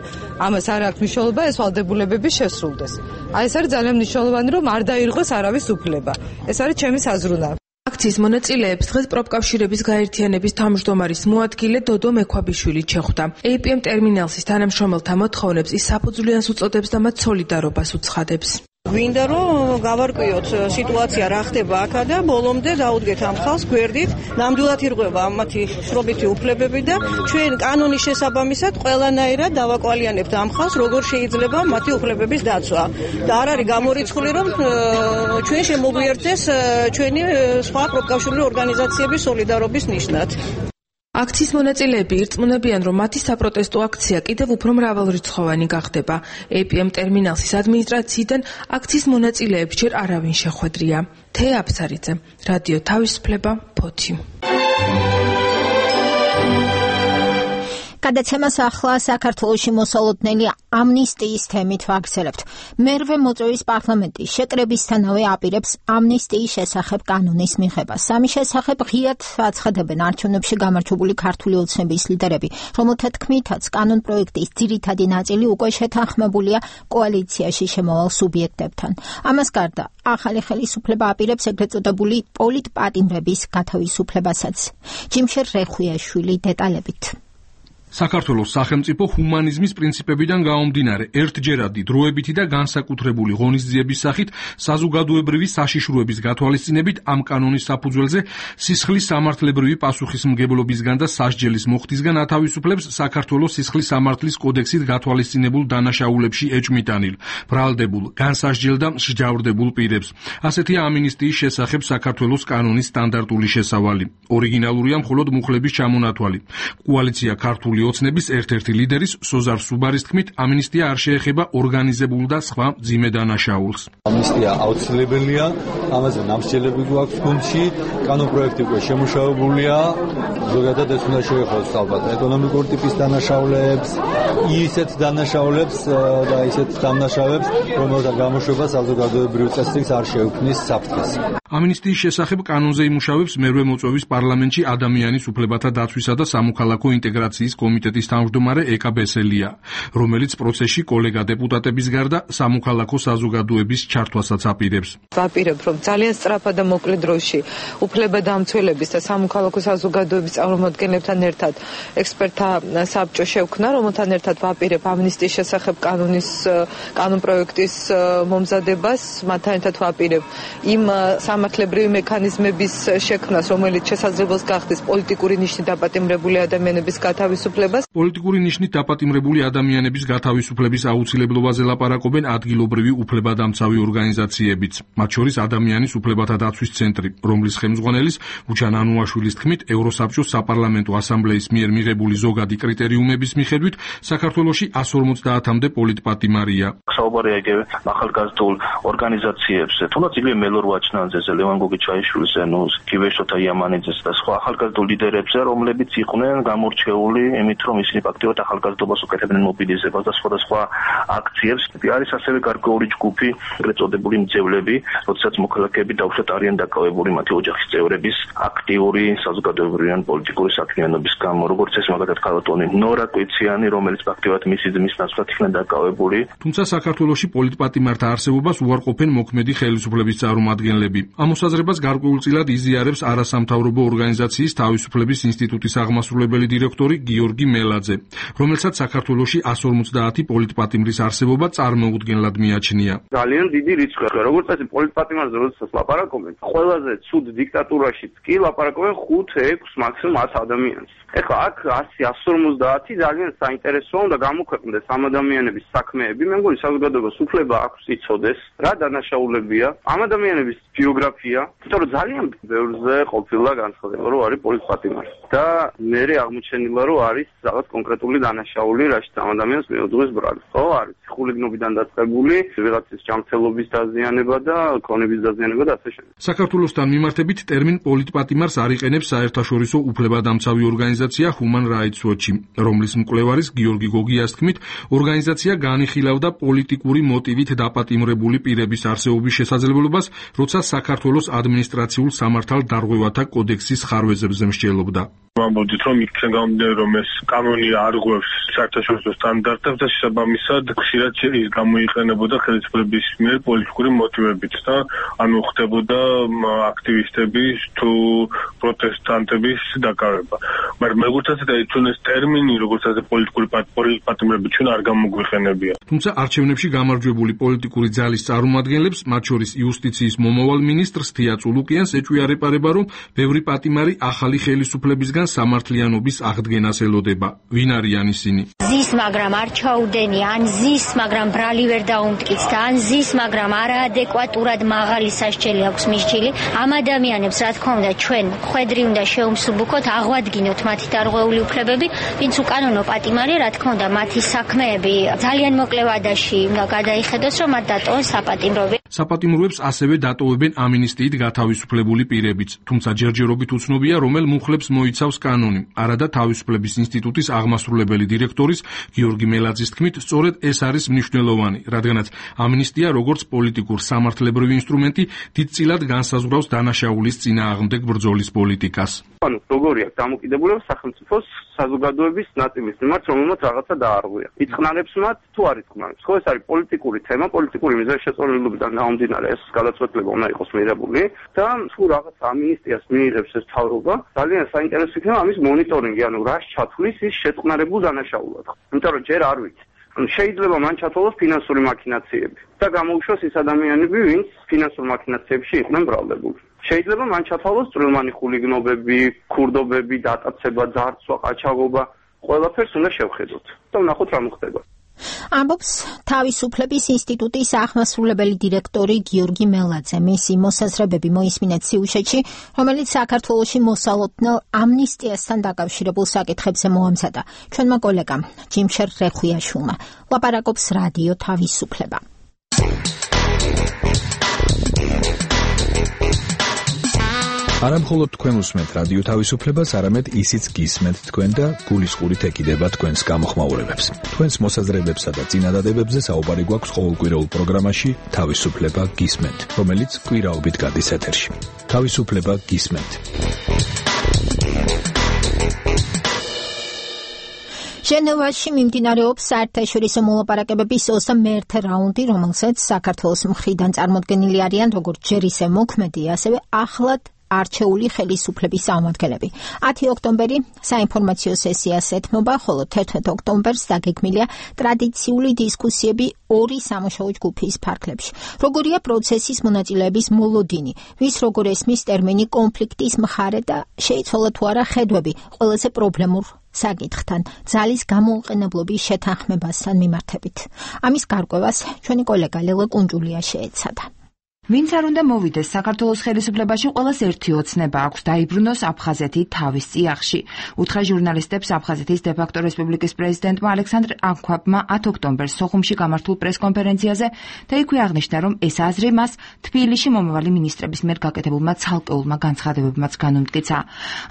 ამას არ აქვს მნიშვნელობა, ეს ვალდებულებები შესრულდეს. აი ეს არის ძალიან მნიშვნელოვანი, რომ არ დაირღვეს არავის უფლება. ეს არის ჩემი საზრუნა.
აქციის მონაწილეებს დღეს პროფკავშირების გაერთიანების თავმჯდომარის მოადგილე დოდო მექვაბიშვილი შეხვდა. APM ტერმინალსის თანამშრომელთა მოთხოვნებს ის საფუძვლიანს უწოდებს და მათ სოლიდარობას უცხადებს.
გვინდა რომ გავარკვიოთ სიტუაცია რა ხდება აქა და ბოლომდე დაუდგეთ ამ ხალხს გვერდით, ნამდვილად ირღვევა მათი შრომითი უფლებები და ჩვენ კანონის შესაბამისად ყველანაირად დავაკვალიანებთ ამ ხალხს, როგორ შეიძლება მათი უფლებების დაცვა. და არ არის გამორიცხული, რომ ჩვენ შემოგვიერთდეს ჩვენი სხვა პროფკავშირული ორგანიზაციების სოლიდარობის ნიშნად.
აქციის მონაწილეები ირწმუნებიან, რომ მათი საპროტესტო აქცია კიდევ უფრო მრავალრიცხოვანი გახდება. APM ტერმინალსის ადმინისტრაციიდან აქციის მონაწილეებს ჯერ არავინ შეხვედრია. თეა აბსარიძე, რადიო თავისუფლება, ფოთი.
გადაცემას ახლა საქართველოში მოსალოდნელი ამნისტიის თემით ვაგრძელებთ. მერვე მოწვევის პარლამენტი შეკრებისთანავე აპირებს ამნისტიის შესახებ კანონის მიღებას. ამის შესახებ ღიად აცხადებენ არჩევნებში გამარჯვებული ქართული ოცნების ლიდერები, რომელთა თქმითაც კანონპროექტის ძირითადი ნაწილი უკვე შეთანხმებულია კოალიციაში შემავალ სუბიექტებთან. ამას გარდა ახალი ხელისუფლება აპირებს ეგრეთ წოდებული პოლიტპატიმრების გათავისუფლებასაც. ჯიმშერ რეხვიაშვილი დეტალებით.
საქართველოს სახელმწიფო ჰუმანიზმის პრინციპებიდან გაომდინარე ერთჯერადი დროებითი და განსაკუთრებული ღონისძიების სახით საზოგადოებრივი საშიშროების გათვალისწინებით ამ კანონის საფუძველზე სისხლის სამართლებრივი პასუხისმგებლობისგან და სასჯელის მოხდისგან ათავისუფლებს საქართველოს სისხლის სამართლის კოდექსით გათვალისწინებულ დანაშაულებში ეჭმიტანილ, ბრალდებულ, განსასჯელ და მსჯავრდებულ პირებს. ასეთია ამინისტიის შესახებ საქართველოს კანონის სტანდარტული შესავალი. ორიგინალურია მხოლოდ მუხლების ჩამონათვალი. კოალიცია ქართული ოცნების ერთ-ერთი ლიდერის სოზარ სუბარის თქმით, ამინისტია არ შეეხება ორგანიზებულ და სხვა მძიმე დანაშაულს.
ამნისტია აუცილებელია, ამაზე ნამსჯელები გვაქვს გუნდში, კანონპროექტი უკვე შემუშავებულია, ზოგადად ეს უნდა შეეხოს ალბათ ეკონომიკური ტიპის დანაშაულებს, ისეთ დანაშაულებს და ისეთ დამნაშავებს, რომელთა გამოშვება საზოგადოებრივ წესრიგს არ შეუქმნის საფრთხეს.
ამინისტიის შესახებ კანონზე იმუშავებს მერვე მოწვევის პარლამენტში ადამიანის უფლებათა დაცვისა და სამოქალაქო ინტეგრაციის კომიტეტის თავმჯდომარე ეკა ბესელია, რომელიც პროცესში კოლეგა დეპუტატების გარდა სამოქალაქო საზოგადოების ჩართვასაც აპირებს.
ვაპირებ, რომ ძალიან სწრაფად და მოკლე დროში უფლებადამცველების და სამოქალაქო საზოგადოების წარმომადგენლებთან ერთად ექსპერტთა საბჭო შევქმნა, რომელთან ერთად ვაპირებ ამნისტიის შესახებ კანონპროექტის მომზადებას, მათთან ერთად ვაპირებ იმ სამართლებრივი მექანიზმების შექმნას, რომელიც შესაძლებელს გახდეს პოლიტიკური ნიშნით დაპატიმრებული ადამიანების გათავისუფლებას.
პოლიტიკური ნიშნით დაპატიმრებული ადამიანების გათავისუფლების აუცილებლობაზე ლაპარაკობენ ადგილობრივი უფლებადამცავი ორგანიზაციებიც, მათ შორის ადამიანის უფლებათა დაცვის ცენტრი, რომლის ხელმძღვანელის უჩან ანუაშვილის თქმით, ევროსაბჭოს საპარლამენტო ასამბლეის მიერ მიღებული ზოგადი კრიტერიუმების მიხედვით საქართველოში 150-მდე პოლიტპატიმარია.
საუბარია იგივე ახალგაზრდულ ორგანიზაციებზე, თუნდაც იგივე მელორ ვაჩნაძეზე, ლევან გოგიჩაიშვილზე, კიბეშოთა იამანიძეს და სხვა ახალგაზრდულ ლიდერებზე, რომლებიც იყვნენ გამორჩეული იმით, რომ ისინი ფაქტიურად ახალგაზრდობას უკეთებდნენ მობილიზებას და სხვადასხვა აქციებს. არის ასევე გარკვეული ჯგუფი, ეგრეთ წოდებული მძევლები, როდესაც მოქალაქეები დაუშვათ არიან დაკავებული მათი ოჯახის წევრების აქტიური საზოგადოებრივი ან პოლიტიკური საქმიანობის გამო, როგორც ეს მაგალითად ქალბატონი ნორა კვიციანი, რომელიც ფაქტიურად მისი ძმის ნაცვლად იქნა დაკავებული.
თუმცა საქართველოში პოლიტპატიმართა არსებობას უარყოფენ მოქმედი ხელისუფლების წარმომადგენლები. ამ მოსაზრებას გარკვეულწილად იზიარებს არასამთავრობო ორგანიზაციის თავისუფლების ინსტიტუტის აღმასრულებელი დირექტორი გიორგი მელაძე, რომელსაც საქართველოში 150 პოლიტპატიმრის არსებობა წარმოუდგენლად მიაჩნია.
ძალიან დიდი რიცხვია, როგორც წესი პოლიტპატიმარზე როდესაც ლაპარაკობენ, ყველაზე ცუდ დიქტატურაშიც კი ლაპარაკობენ 5-6 მაქსიმუმ 100 ადამიანს. ეხლა აქ 150 ძალიან საინტერესოა და გამოქვეყნდეს ამ ადამიანების საქმეები. მე მგონი საზოგადოებას უფლება აქვს იცოდეს რა დანაშაულებია ამ ადამიანების ბიოგრაფია, იმიტომ რომ ძალიან ბევრზე ყოფილა განცხადება, რომ არის პოლიტპატიმარი და მე აღმოჩენილა, რომ არის რაღაც კონკრეტული დანაშაული, რაშიც ამ ადამიანს მიუძღვის ბრალი. ხო, არის ხულიგნობიდან დაწყებული, ვიღაცის ჯანმრთელობის დაზიანება და ქონების დაზიანება და ასე შემდეგ.
საქართველოსთან მიმართებით ტერმინ პოლიტპატიმარს არ იყენებს საერთაშორისო უფლებადამცავი ორგანიზაცია Human Rights Watch, რომლის მკვლევარის გიორგი გოგიას თქმით, ორგანიზაცია განიხილავდა პოლიტიკური მოტივით დაპატიმრებული პირების არსებობის შესაძლებლობას, როცა საქართველოს ადმინისტრაციულ სამართალდარღვევათა კოდექსის ხარვეზებზე მსჯელობდა.
ვამბობდით, რომ იქიდან გამომდინარე, რომ ეს კანონი არღვევს საერთაშორისო სტანდარტებს და შესაბამისად ხშირად ის გამოიყენებოდა ხელისუფლების მიერ პოლიტიკური მოტივებით და ანუ ხდებოდა აქტივისტების თუ პროტესტანტების დაკავება. მაგრამ როგორც ასეთი ჩვენ ეს ტერმინი, როგორც ასეთი პოლიტიკური პატიმრები ჩვენ არ გამოგვიყენებია.
თუმცა არჩევნებში გამარჯვებული პოლიტიკური ძალის წარმომადგენლებს, მათ შორის იუსტიციის მომავალ მინისტრს თია წულუკიანს ეჭვიარეპარება, რომ ბევრი პატიმარი ახალი ხელისუფლებისგან სამართლიანობის აღდგენას ელოდება. ვინ არიან ისინი?
ზის, მაგრამ არ ჩაუდენი, ან ზის, მაგრამ ბრალი ვერ დაუმტკიცდა, ან ზის, მაგრამ არაადეკვატურად მაღალი სასჯელი აქვს მისჯილი. ამ ადამიანებს, რა თქმა უნდა, ჩვენ ხვედრი უნდა შეუმსუბუქოთ, აღვადგინოთ მათი დარღვეული უფლებები, ვინც უკანონო პატიმარია, რა თქმა უნდა, მათი საქმეები ძალიან მოკლე ვადაში უნდა გადაიხედოს, რომ მათ დატოვონ საპატიმროები.
საპატიმროებს ასევე დატოვებენ ამინისტიით გათავისუფლებული პირებიც, თუმცა ჯერჯერობით უცნობია, რომელ მუხლებს მოიცავს კანონი. არადა თავისუფლების ინსტიტუტის აღმასრულებელი დირექტორის გიორგი მელაძის თქმით, სწორედ ეს არის მნიშვნელოვანი, რადგანაც ამინისტია როგორც პოლიტიკურ სამართლებრივი ინსტრუმენტი დიდწილად განსაზღვრავს დანაშაულის წინააღმდეგ ბრძოლის პოლიტიკას.
ანუ როგორი აქვს დამოკიდებულება სახელმწიფოს საზოგადოების ნაწილის მიმართ, რომელმაც რაღაცა დაარღვია. იწყნარებს მათ თუ არ იწყნარებს. ხო, ეს არის პოლიტიკური თემა, პოლიტიკური მიზანშეწონილობიდან გამომდინარე ეს გადაწყვეტილება უნდა იყოს მიღებული და თუ რაღაც ამინისტიას მიიღებს ეს თავრობა, ძალიან საინტერესო იქნება ამის მონიტორინგი, ანუ რას ჩათვლის ის შეწყნარებულ დანაშაულად. იმიტომ რომ ჯერ არ ვიცი. შეიძლება მან ჩათვალოს ფინანსური მაქინაციები და გამოუშვას ის ადამიანები, ვინც ფინანსურ მაქინაციებში იყვნენ ბრალდებული. შეიძლება მან ჩათვალოს წვრილმანი ხულიგნობები, ქურდობები, დატაცება, ძარცვა, ყაჩაღობა, ყველაფერს უნდა შევხედოთ და ვნახოთ რა მოხდება.
ამბობს თავისუფლების ინსტიტუტის აღმასრულებელი დირექტორი გიორგი მელაძე. მისი მოსაზრებები მოისმინეთ სიუჟეტში, რომელიც საქართველოში მოსალოდნელ ამნისტიასთან დაკავშირებულ საკითხებზე მოამზადა ჩვენმა კოლეგამ ჯიმშერ რეხვიაშვილმა. ლაპარაკობს რადიო თავისუფლება.
არა მხოლოდ თქვენ უსმენთ რადიო თავისუფლებას, არამედ ისიც გისმენთ თქვენ და გულისყურით ეკიდება თქვენს გამოხმაურებებს. თქვენს მოსაზრებებსა და წინადადებებზე საუბარი გვაქვს ყოველკვირეულ პროგრამაში თავისუფლება გისმენთ, რომელიც კვირაობით გადის ეთერში. თავისუფლება გისმენთ.
ჟენევაში მიმდინარეობს საერთაშორისო მოლაპარაკებების 21-ე რაუნდი, რომელსაც საქართველოს მხრიდან წარმოდგენილი არიან როგორც ჯერ ისე მოქმედი, ასევე ახლად არჩეული ხელისუფლების წარმომადგენლები. 10 ოქტომბერი საინფორმაციო სესიას ეთმობა, ხოლო 11 ოქტომბერს დაგეგმილია ტრადიციული დისკუსიები ორი სამუშაო ჯგუფის ფარგლებში. როგორია პროცესის მონაწილეების მოლოდინი, ვის როგორ ესმის ტერმინი კონფლიქტის მხარე და შეიცვალა თუ არა ხედვები ყველაზე პრობლემურ საკითხთან, ძალის გამოუყენებლობის შეთანხმებასთან მიმართებით. ამის გარკვევას ჩვენი კოლეგა ლელა კუნჯულია შეეცადა.
ვინც არ უნდა მოვიდეს საქართველოს ხელისუფლებაში, ყველას ერთი ოცნება აქვს დაიბრუნოს აფხაზეთი თავის წიაღში. უთხრა ჟურნალისტებს აფხაზეთის დე-ფაქტო რესპუბლიკის პრეზიდენტმა ალექსანდრ ანქვაბმა 10 ოქტომბერს სოხუმში გამართულ პრესკონფერენციაზე და იქვე აღნიშნა, რომ ეს აზრი მას თბილისში მომავალი მინისტრების მიერ გაკეთებულმა ცალკეულმა განცხადებებმაც განუმტკიცა.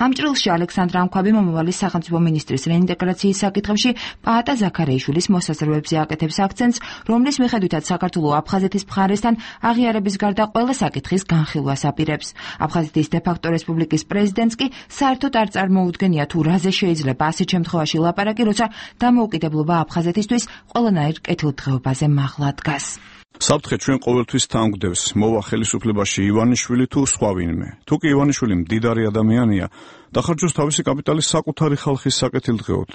ამ ჭრილში ალექსანდრ ანქვაბი მომავალი სახელმწიფო მინისტრის რეინტეგრაციის საკითხებში პაატა ზაქარეიშვილის მოსაზრებებზე აკეთებს აქცენტს, რომლის მიხედვითაც საქართველო აფხაზეთის მხარესთან აღიარების გარდა ყველა საკითხის განხილვას აპირებს. აფხაზეთის დე-ფაქტო რესპუბლიკის პრეზიდენტს კი საერთოდ არ წარმოუდგენია თუ რაზე შეიძლება ასეთ შემთხვევაში ლაპარაკი, როცა დამოუკიდებლობა აფხაზეთისთვის ყველანაირ კეთილდღეობაზე მაღლა დგას.
საფრთხე ჩვენ ყოველთვის თანგვდევს, მოვა ხელისუფლებაში ივანიშვილი თუ სხვა ვინმე. თუ კი ივანიშვილი მდიდარი ადამიანია, დახარჯოს თავისი კაპიტალის საკუთარი ხალხის საკეთილდღეოდ.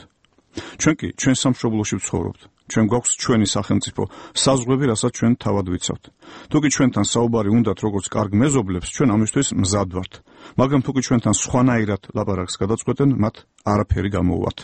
ჩვენ კი ჩვენ სამშობლოში ვცხოვრობთ. ჩვენ გვაქვს ჩვენი სახელმწიფო, საზღვრები, რასაც ჩვენ თავად ვიცავთ. თუ კი ჩვენთან საუბარი უნდათ როგორც კარგ მეზობლებს, ჩვენ ამისთვის მზად ვართ. მაგრამ თუ კი ჩვენთან სხვანაირად ლაპარაკს გადაწყვეტენ, მათ არაფერი გამოუვათ.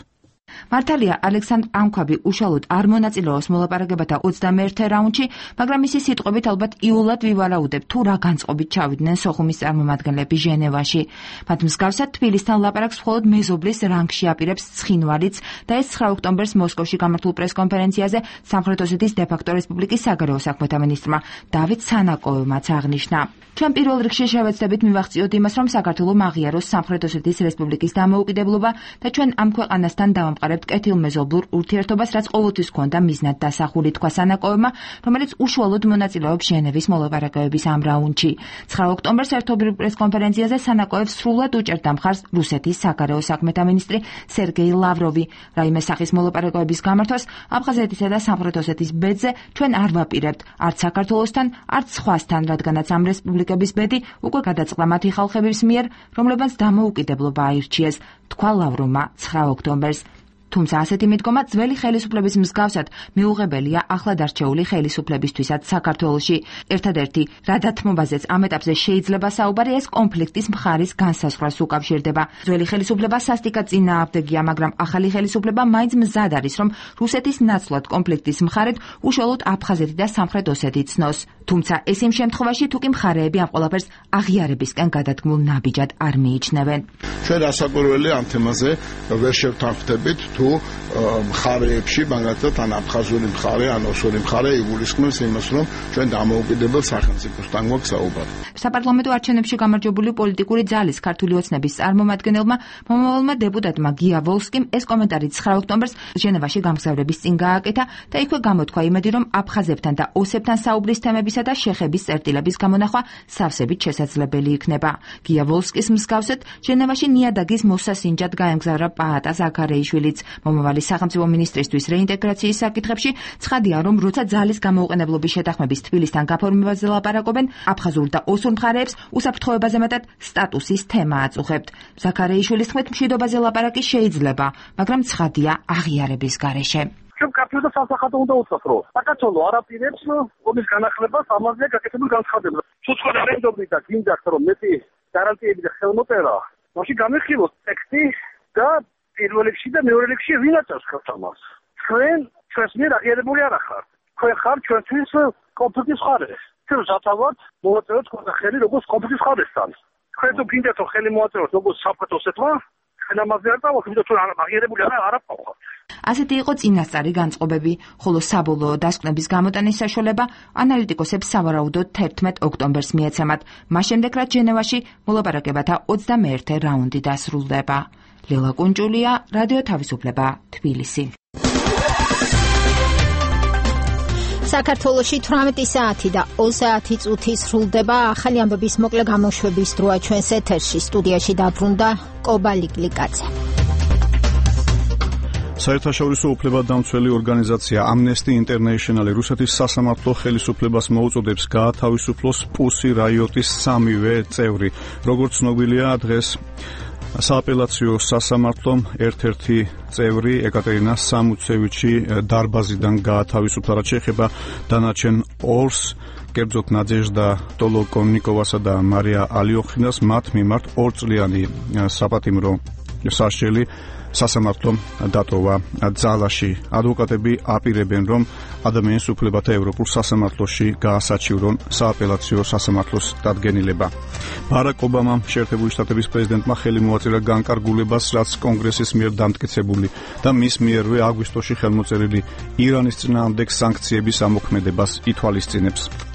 მართალია, ალექსანდრ ანქვაბი უშუალოდ არ მონაწილეობს მოლაპარაკებათა 21-ე რაუნდში, მაგრამ მისი სიტყვებით ალბათ იულად ვივარაუდებ, თუ რა განწყობით ჩავიდნენ სოხუმის წარმომადგენლები ჟენევაში. მათ მსგავსად თბილისთან ლაპარაკს მხოლოდ მეზობლის რანგში აპირებს ცხინვალიც და ეს 9 ოქტომბერს მოსკოვში გამართულ პრესკონფერენციაზე სამხრეთ ოსეთის დე-ფაქტო რესპუბლიკის საგარეო საქმეთა მინისტრმა დავით სანაკოევმაც აღნიშნა. ჩვენ პირველ რიგში შევეცდებით მივახციოთ იმას, რომ საქართველო აღიაროს სამხრეთ ოსეთის რესპუბლიკის დამოუკიდებლობა და ჩვენ ამ ქვეყანასთან დავამყარებთ კეთილმეზობლურ ურთიერთობას, რაც ყოველთვის ჰქონდა მიზნად დასახული, თქვა სანაკოევმა, რომელიც უშუალოდ მონაწილეობს ჟენევის მოლაპარაკებების ამ რაუნდში. 9 ოქტომბერს ერთობლივ პრესკონფერენციაზე სანაკოევს სრულად უჭერდა მხარს რუსეთის საგარეო საქმეთა მინისტრი სერგეი ლავროვი. რაიმე სახის მოლაპარაკებების გამართვას აფხაზეთისა და სამხრეთ ოსეთის ბედზე ჩვენ არ ვაპირებთ, არც საქართველოსთან, არც სხვასთან, რადგანაც ამ რესპუბლიკების ბედი უკვე გადაწყდა მათი ხალხების მიერ, რომლებმაც დამოუკიდებლობა აირჩიეს, თქვა ლავროვმა 9 ოქტომბერს. თუმცა ასეთი მიდგომა ძველი ხელისუფლების მსგავსად მიუღებელია ახლად არჩეული ხელისუფლებისთვისაც საქართველოში. ერთადერთი, რა დათმობაზეც ამ ეტაპზე შეიძლება საუბარი, ეს კონფლიქტის მხარის განსაზღვრას უკავშირდება. ძველი ხელისუფლება სასტიკად წინააღმდეგია, მაგრამ ახალი ხელისუფლება მაინც მზად არის, რომ რუსეთის ნაცვლად კონფლიქტის მხარედ უშუალოდ აფხაზეთი და სამხრეთ ოსეთი ცნოს. თუმცა ეს იმ შემთხვევაში, თუ კი მხარეები ამ ყველაფერს აღიარებისკენ გადადგმულ ნაბიჯად არ მიიჩნევენ.
ჩვენ რასაკვირველია ამ თემაზე ვერ შევთანხმდებით თუ მხარეებში, მაგალითად, ან აფხაზური მხარე, ან ოსური მხარე იგულისხმებს იმას, რომ ჩვენ დამოუკიდებელ სახელმწიფოსთან გვაქვს საუბარი.
საპარლამენტო არჩევნებში გამარჯვებული პოლიტიკური ძალის ქართული ოცნების წარმომადგენელმა მომავალმა დეპუტატმა გია ვოლსკიმ ეს კომენტარი 9 ოქტომბერს ჟენევაში გამგზავრების წინ გააკეთა და იქვე გამოთქვა იმედი, რომ აფხაზებთან და ოსებთან საუბრის თემებისა და შეხების წერტილების გამონახვა სავსებით შესაძლებელი იქნება. გია ვოლსკის მსგავსად ჟენევაში ნიადაგის მოსასინჯად გაემგზავრა პაატა ზაქარეიშვილიც. მომავალი სახელმწიფო მინისტრისთვის რეინტეგრაციის საკითხებში ცხადია, რომ როცა ძალის გამოუყენებლობის შეთანხმების თბილისთან გაფორმებაზე ლაპარაკობენ, აფხაზურ და ოსურ მხარეებს უსაფრთხოებაზე მეტად სტატუსის თემა აწუხებთ. ზაქარეიშვილის თქმით, მშვიდობაზე ლაპარაკი შეიძლება, მაგრამ ცხადია აღიარების გარეშე.
ჩვენ ქართულ და სამსახატო უნდა უცხოს, რომ საქართველო არ აპირებს ომის განახლებას, ამაზე გაკეთებულ განცხადებას. თუ სხვა რეფერენდუმი და გინდათ, რომ მეტი გარანტიები და ხელმოწერა, მაშინ გამიხილოთ ტექსტი და პირველ რიგში და მეორე რიგში ვინ აწევს ხელს ამას? ჩვენს მიერ აღიარებული არ ახართ. თქვენ ხართ ჩვენთვის კონფლიქტის მხარე. ჩვენ სათავად მოვაწეროთ თქვენთან ხელი როგორც კონფლიქტის მხარესთან. თქვენ თუ გინდათ რომ ხელი მოვაწეროთ როგორც სამხრეთ ოსეთმა, ჩვენ ამაზე არ დავაქვს, იმიტომ რომ აღიარებული არ აყავთ.
ასეთი იყო წინასწარი განწყობები, ხოლო საბოლოო დასკვნების გამოტანის საშუალება ანალიტიკოსებს სავარაუდოდ 11 ოქტომბერს მიეცემათ. მას შემდეგ, რაც ჟენევაში მოლაპარაკებათა 21-ე რაუნდი დასრულდება. ლელა კუნჯულია, რადიო თავისუფლება, თბილისი.
საქართველოში 18 საათი და 30 წუთი სრულდება. ახალი ამბების მოკლე გამოშვების დროა ჩვენს ეთერში. სტუდიაში დაბრუნდა კობა ლიკლიკაძე.
საერთაშორისო უფლებადამცველი ორგანიზაცია Amnesty International რუსეთის სასამართლო ხელისუფლებას მოუწოდებს გაათავისუფლოს პუსი რაიოტის სამივე წევრი. როგორც ცნობილია, დღეს სააპელაციო სასამართლომ ერთ-ერთი წევრი ეკატერინა სამუცევიჩი დარბაზიდან გაათავისუფლა, რაც შეეხება დანარჩენ ორს, კერძოდ ნადეჟდა ტოლოკონიკოვასა და მარია ალიოხინას, მათ მიმართ 2 წლიანი საპატიმრო სასჯელი სასამართლომ დატოვა ძალაში. ადვოკატები აპირებენ, რომ ადამიანის უფლებათა ევროპულ სასამართლოში გაასაჩივრონ სააპელაციო სასამართლოს დადგენილება. ბარაკ ობამამ შეერთებული შტატების პრეზიდენტმა ხელი მოაწერა განკარგულებას, რაც კონგრესის მიერ დამტკიცებული და მის მიერვე აგვისტოში ხელმოწერილი ირანის წინააღმდეგ სანქციების ამოქმედებას ითვალისწინებს.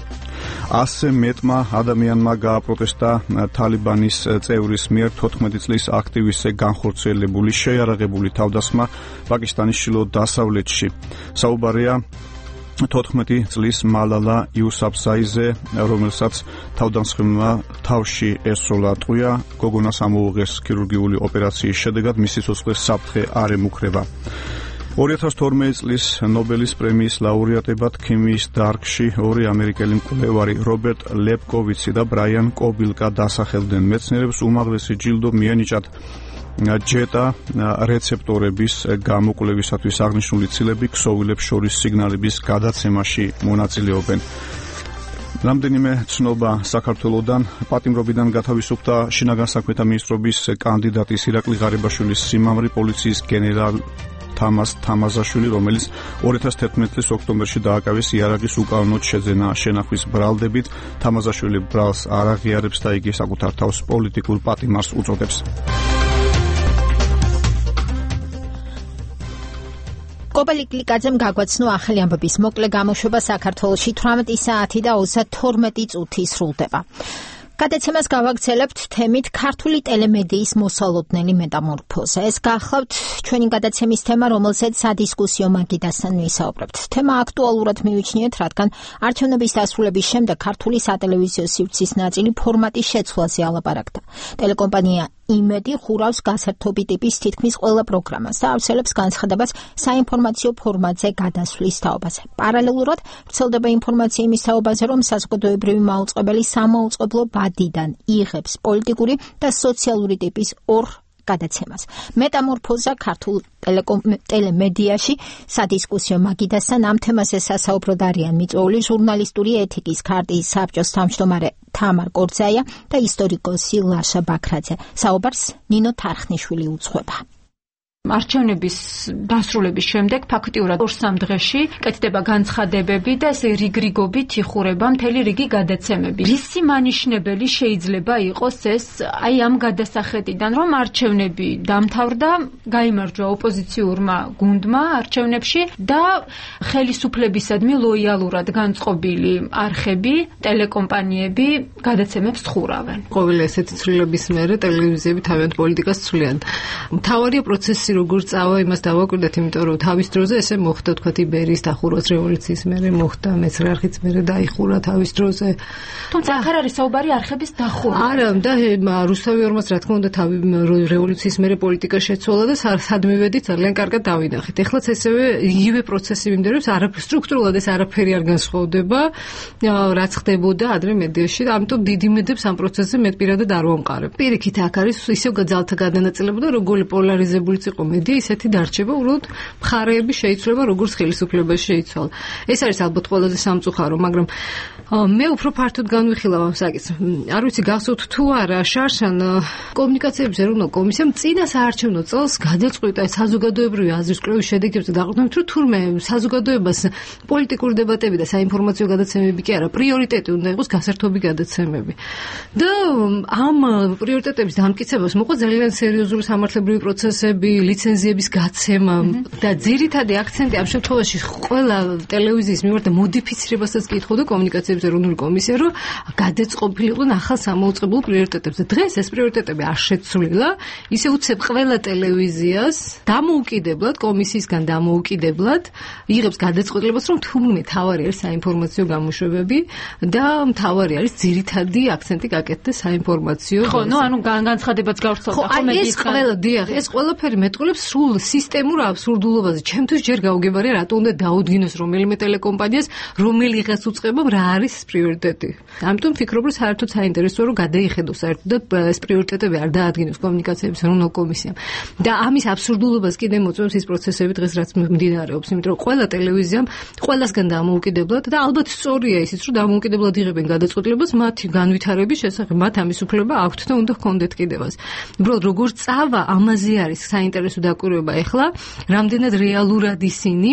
100 მეტმა ადამიანმა გააპროტესტა თალიბანის წევრის მიერ 14 წლის აქტივისტზე განხორციელებული შეიარაღებული თავდასხმა პაკისტანის ჩრდილოეთ დასავლეთში. საუბარია 14 წლის მალალა იუსაფზაიზე, რომელსაც თავდამსხმელმა თავში ესროლა ტყვია, გოგონას ამოუღეს ქირურგიული ოპერაციის შედეგად, მისი სიცოცხლე საფრთხე არ ემუქრება. 2012 წლის ნობელის პრემიის ლაურეატებად ქიმიის დარგში 2 ამერიკელი მკვლევარი რობერტ ლეპკოვიცი და ბრაიან კობილკა დასახელდნენ. მეცნიერებს უმაღლესი ჯილდო მიენიჭათ ჯეტა რეცეპტორების გამოკვლევისათვის აღნიშნული ცილები ქსოვილებს შორის სიგნალების გადაცემაში მონაწილეობენ. რამდენიმე ცნობა საქართველოდან. პატიმრობიდან გათავისუფლდა შინაგან საქმეთა მინისტრობის კანდიდატის ირაკლი ღარიბაშვილის სიმამრი პოლიციის გენერალ თამას თამაზაშვილი, რომელიც 2011 წლის ოქტომბერში დააკავეს იარაღის უკანონოდ შეძენა შენახვის ბრალდებით. თამაზაშვილი ბრალს არ აღიარებს და იგი საკუთარ თავს პოლიტიკურ პატიმარს უწოდებს.
კობა ლიკლიკაძემ გაგვაცნო ახალი ამბების მოკლე გამოშვება საქართველოში 18 საათი და 32 წუთი სრულდება. გადაცემას გავაგრძელებთ თემით ქართული ტელემედიის მოსალოდნელი მეტამორფოზა. ეს გახლავთ ჩვენი გადაცემის თემა, რომელზეც სადისკუსიო მაგიდასთან ვისაუბრებთ. თემა აქტუალურად მივიჩნიეთ, რადგან არჩევნების დასრულების შემდეგ ქართული სატელევიზიო სივრცის ნაწილი ფორმატის შეცვლაზე ალაპარაკდა. ტელეკომპანია იმედი ხურავს გასართობი ტიპის თითქმის ყველა პროგრამას და ავრცელებს განცხადებას საინფორმაციო ფორმატზე გადასვლის თაობაზე. პარალელურად ვრცელდება ინფორმაცია იმის თაობაზე, რომ საზოგადოებრივი მაუწყებელი სამაუწყებლო ბადიდან იღებს პოლიტიკური და სოციალური ტიპის ორ გადაცემას. მეტამორფოზა ქართულ ტელემედიაში სადისკუსიო მაგიდასთან ამ თემაზე სასაუბროდ არიან მიწვეული ჟურნალისტური ეთიკის ქარტიის საბჭოს თავმჯდომარე თამარ კორძაია და ისტორიკოსი ლაშა ბაქრაძე. საუბარს ნინო თარხნიშვილი უძღვება.
არჩევნების დასრულების შემდეგ ფაქტიურად 2-3 დღეში კეთდება განცხადებები და ესე რიგრიგობით იხურება მთელი რიგი გადაცემები. რისი მანიშნებელი შეიძლება იყოს ეს აი ამ გადასახედიდან, რომ არჩევნები დამთავრდა, გაიმარჯვა ოპოზიციურმა გუნდმა არჩევნებში და ხელისუფლებისადმი ლოიალურად განწყობილი არხები, ტელეკომპანიები გადაცემებს ხურავენ.
ყოველი ესეთი ცვლილების მერე ტელევიზიები თავიანთ პოლიტიკას ცვლიან. მთავარია პროცესი როგორც წავა, იმას დავაკვირდეთ, იმიტომ რომ თავის დროზე ესე მოხდა, თქვათ, იბერიის დახურვაც რევოლუციის მერე მოხდა, მეცხრე არხიც მერე დაიხურა თავის დროზე.
თუმცა აქ არ არის საუბარი არხების დახურვა.
არა, და რუსთავი ორმას რა თქმა უნდა თავი რევოლუციის მერე პოლიტიკა შეცვალა და სად მივედით ძალიან კარგად დავინახეთ. ეხლაც ესევე იგივე პროცესი მიმდინარეობს, სტრუქტურულად ეს არაფერი არ განსხვავდება, რაც ხდებოდა ადრე მედიაში, ამიტომ დიდი იმედებს ამ პროცესზე მე პირადად არ ვამყარებ. პირიქით აქ არის ისევ ძალთა გადანაწილება და როგორი პოლარიზებულიც იყო მედია, ისეთი დარჩება, უბრალოდ მხარეები შეიცვლება, როგორც ხელისუფლებაში შეიცვალა. ეს არის ალბათ ყველაზე სამწუხარო, მაგრამ მე უფრო ფართოდ განვიხილავ ამ საკითხს. არ ვიცი გახსოვთ თუ არა, შარშან კომუნიკაციების ეროვნულ კომისიამ წინა საარჩევნო წელს გადაწყვიტა საზოგადოებრივი აზრის კვლევის შედეგებზე დაყრდნობით, რომ თურმე საზოგადოებას პოლიტიკური დებატები და საინფორმაციო გადაცემები კი არა, პრიორიტეტი უნდა იყოს გასართობი გადაცემები. და ამ პრიორიტეტების დამტკიცებას მოყვა ძალიან სერიოზული სამართლებრივი პროცესები, ლიცენზიების გაცემა და ძირითადი აქცენტი ამ შემთხვევაში ყველა ტელევიზიის მიმართ მოდიფიცირებასაც კითხავდა კომუნიკაციების ეროვნული კომისია, რომ გადაწყობილიყო ახალ სამაუწყებლო პრიორიტეტებზე. დღეს ეს პრიორიტეტები არ შეცვლილა, ისე უცებ ყველა ტელევიზიას დამოუკიდებლად, კომისიისგან დამოუკიდებლად იღებს გადაწყვეტილებას, რომ თურმე თავარი არის საინფორმაციო გამოშვებები და თავარი არის ძირითადი აქცენტი გაკეთდეს საინფორმაციო.
ხო, ანუ განცხადებაც გავრცელდა
ხო, ეს ყველა, დიახ, ეს ყველაფერი მეტყვი
მოსკოლებს სულ სისტემურ აბსურდულობაზე. ჩემთვის ჯერ გაუგებარია რატო უნდა დაუდგინოს რომელიმე ტელეკომპანიას, რომელიღაც უწყებამ რა არის პრიორიტეტი. ამიტომ ფიქრობ, რომ საერთოდ საინტერესოა რომ გადაიხედოს საერთოდ და ეს პრიორიტეტები არ დაადგინოს კომუნიკაციების ეროვნულ კომისიამ. და ამის აბსურდულობას კიდე მოწმობს ის პროცესები დღეს რაც მიმდინარეობს, იმიტომ რომ ყველა ტელევიზიამ ყველასგან დამოუკიდებლად და ალბათ სწორია ისიც რომ დამოუკიდებლად იღებენ გადაწყვეტილებას მათი განვითარების შესახებ, მათ ამის უფლება აქვთ და უნდა ჰქონდეთ კიდევაც. უბრალოდ როგორ წავა ამაზე არის საინტერესო დაკვირვება ახლა, რამდენად რეალურად ისინი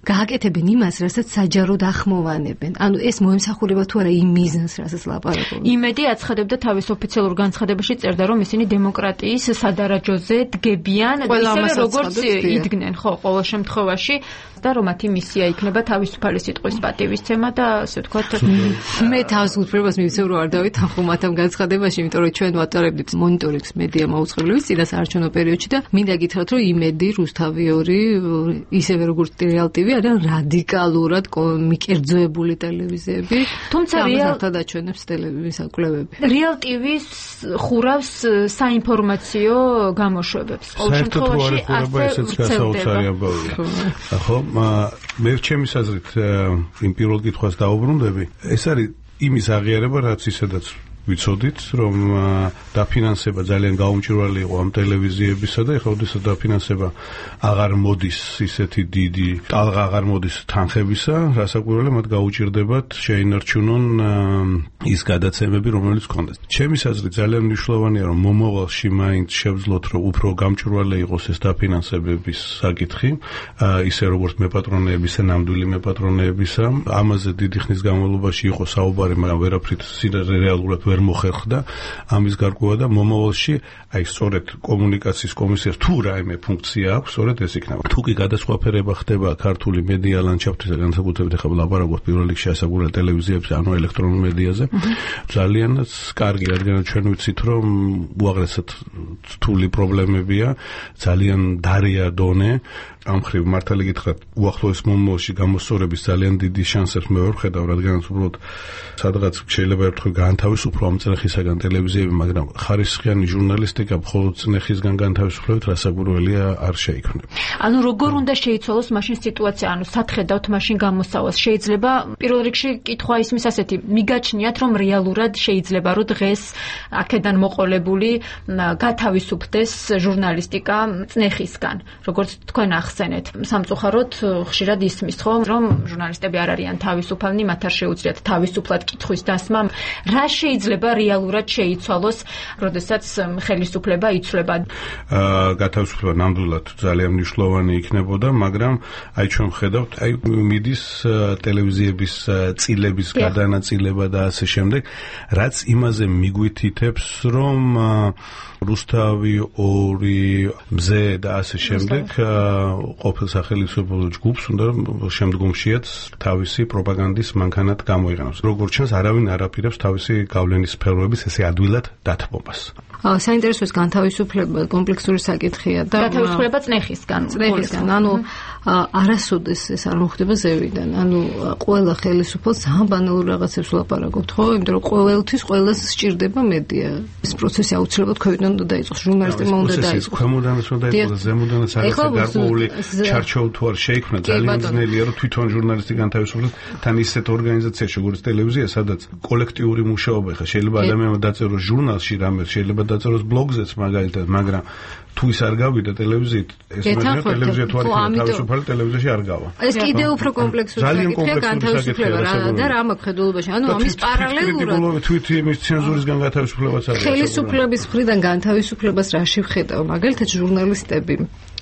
გააკეთებენ იმას, რასაც საჯაროდ ახმოვანებენ. ანუ ეს მოემსახურება თუ არა იმ მიზანს, რასაც ლაპარაკობენ.
იმედი აცხადებდა თავის ოფიციალურ განცხადებაში წერდა, რომ ისინი დემოკრატიის სადარაჯოზე დგებიან, ისევე როგორც იდგნენ, ხო, ყოველ შემთხვევაში და რომ მათი მისია იქნება თავისუფალი სიტყვის პატივისცემა და ასე ვთქვათ,
მე თავს უფლებას მივცევ რომ არ დავითანხო მათ ამ განცხადებაში, იმიტომ რომ ჩვენ ვატარებდით მონიტორინგს მედია მაუწყებლობის წინა საარჩევნო პერიოდში და მინდა გითხრათ, რომ იმედი, რუსთავიორი, ისევე როგორც რეალტივი არიან რადიკალურად მიკერძოებული ტელევიზიები,
თუმცა
დაჩვენებს ტელევიზიის კვლევები.
რეალტივის ხურავს საინფორმაციო გამოშვებებს.
ყოველ შემთხვევაში ასეც გასაოცარი ამბავია. ხო, მე ჩემი აზრით იმ პირველ კითხვას დაუბრუნდები. ეს არის იმის აღიარება, რაც ისედაც ვიცოდით, რომ დაფინანსება ძალიან გაუმჭირველი იყო ამ ტელევიზიებისა და ეხლა ოდესაც დაფინანსება აღარ მოდის ისეთი დიდი, ტალღა აღარ მოდის თანხებისა, რასაკვირველია მათ გაუჭირდებათ შეინარჩუნონ ის გადაცემები, რომელიც ჰქონდათ. ჩემი აზრით ძალიან მნიშვნელოვანია, რომ მომავალში მაინც შევძლოთ, რომ უფრო გამჭვირვალე იყოს ეს დაფინანსებების საკითხი, ისე როგორც მეპატრონეებისა, ნამდვილი მეპატრონეებისა. ამაზე დიდი ხნის განმავლობაში იყო საუბარი, მაგრამ ვერაფრით რეალურად ვერ მოხერხდა ამის გარკვევა და მომავალში აი სწორედ კომუნიკაციის კომისიას თუ რაიმე ფუნქცია აქვს, სწორედ ეს იქნება. თუ კი გადასხვაფერება ხდება ქართული მედია ლანდშაფტის და განსაკუთრებით ახლა ვლაპარაკობთ პირველ რიგში ასაკურა ტელევიზიებზე, ანუ ელექტრონულ მედიაზე, ძალიანაც კარგი, რადგან ჩვენ ვიცით, რომ უაღრესად რთული პრობლემებია, ძალიან დარია დონე. ამ ხრივ მართალი გითხრათ, უახლოეს მომავალში გამოსწორების ძალიან დიდი შანსებს მე ვერ ვხედავ, რადგანაც უბრალოდ სადღაც შეიძლება ერთხელ გაანთავისუფლო ამ წნეხისაგან ტელევიზიები, მაგრამ ხარისხიანი ჟურნალისტიკა მხოლოდ წნეხისგან განთავისუფლებით რასაკვირველია არ შეიქმნება.
ანუ როგორ უნდა შეიცვალოს მაშინ სიტუაცია, ანუ სათხედავთ მაშინ გამოსავალს. შეიძლება პირველ რიგში კითხვა ისმის ასეთი, მიგაჩნიათ რომ რეალურად შეიძლება რომ დღეს აქედან მოყოლებული გათავისუფდეს ჟურნალისტიკა წნეხისგან, როგორც თქვენ ახსენეთ. სამწუხაროდ ხშირად ისმის ხო, რომ ჟურნალისტები არ არიან თავისუფალნი, მათ არ შეუძლიათ თავისუფლად კითხვის დასმა. რა შეიძლება რეალურად შეიცვალოს, როდესაც ხელისუფლება იცვლება?
გათავისუფლება ნამდვილად ძალიან მნიშვნელოვანი იქნებოდა, მაგრამ აი ჩვენ ვხედავთ, აი მიდის ტელევიზიების წილების გადანაწილება და ასე შემდეგ, რაც იმაზე მიგვითითებს, რომ რუსთავი 2 მზე და ასე შემდეგ ყოფილ სახელმწიფო ჯგუფს უნდა შემდგომშიაც თავისი პროპაგანდის მანქანად გამოიყენოს. როგორც ჩანს, არავინ არ აპირებს თავისი გავლენის სფეროების ესე ადვილად დათმობას.
საინტერესოა განთავისუფლება კომპლექსური საკითხია და
განთავისუფლება წნეხისგან.
ანუ არასოდეს ეს არ მოხდება ზევიდან. ანუ ყველა ხელისუფალს ძალიან ბანალურ რაღაცებს ვლაპარაკობთ, ხო? იმიტომ რომ ყოველთვის ყველას სჭირდება მედია. ეს პროცესი აუცილებლად ქვევიდან უნდა დაიწყოს, ჟურნალისტებმა უნდა დაიწყოს.
ქვემოდანაც უნდა დაიწყოს, ზემოდანაც რაღაცა გარკვეული ჩარჩოუ თუ არ შეიქმნა, ძალიან ძნელია რომ თვითონ ჟურნალისტი განთავისუფლდეს თან ისეთ ორგანიზაციაში, როგორც ტელევიზია, სადაც კოლექტიური მუშაობა ხა შეიძლება ადამიანმა დაწეროს ჟურნალში რამე, შეიძლება დაწეროს ბლოგზეც მაგალითად, მაგრამ თუ ის არ გავიდა ტელევიზიით, ეს მაგალითად ტელევიზია თუ არ იქნება თავისუფალი ტელევიზიაში არ გავა.
ეს კიდე უფრო კომპლექსური საკითხია განთავისუფლება და რა მაქვს ხედულობაში. ანუ ამის პარალელურად
თვით იმის ცენზურისგან განთავისუფლებაც არის.
ხელისუფლების მხრიდან განთავისუფლებას რაში ვხედავ? მაგალითად ჟურნალისტები,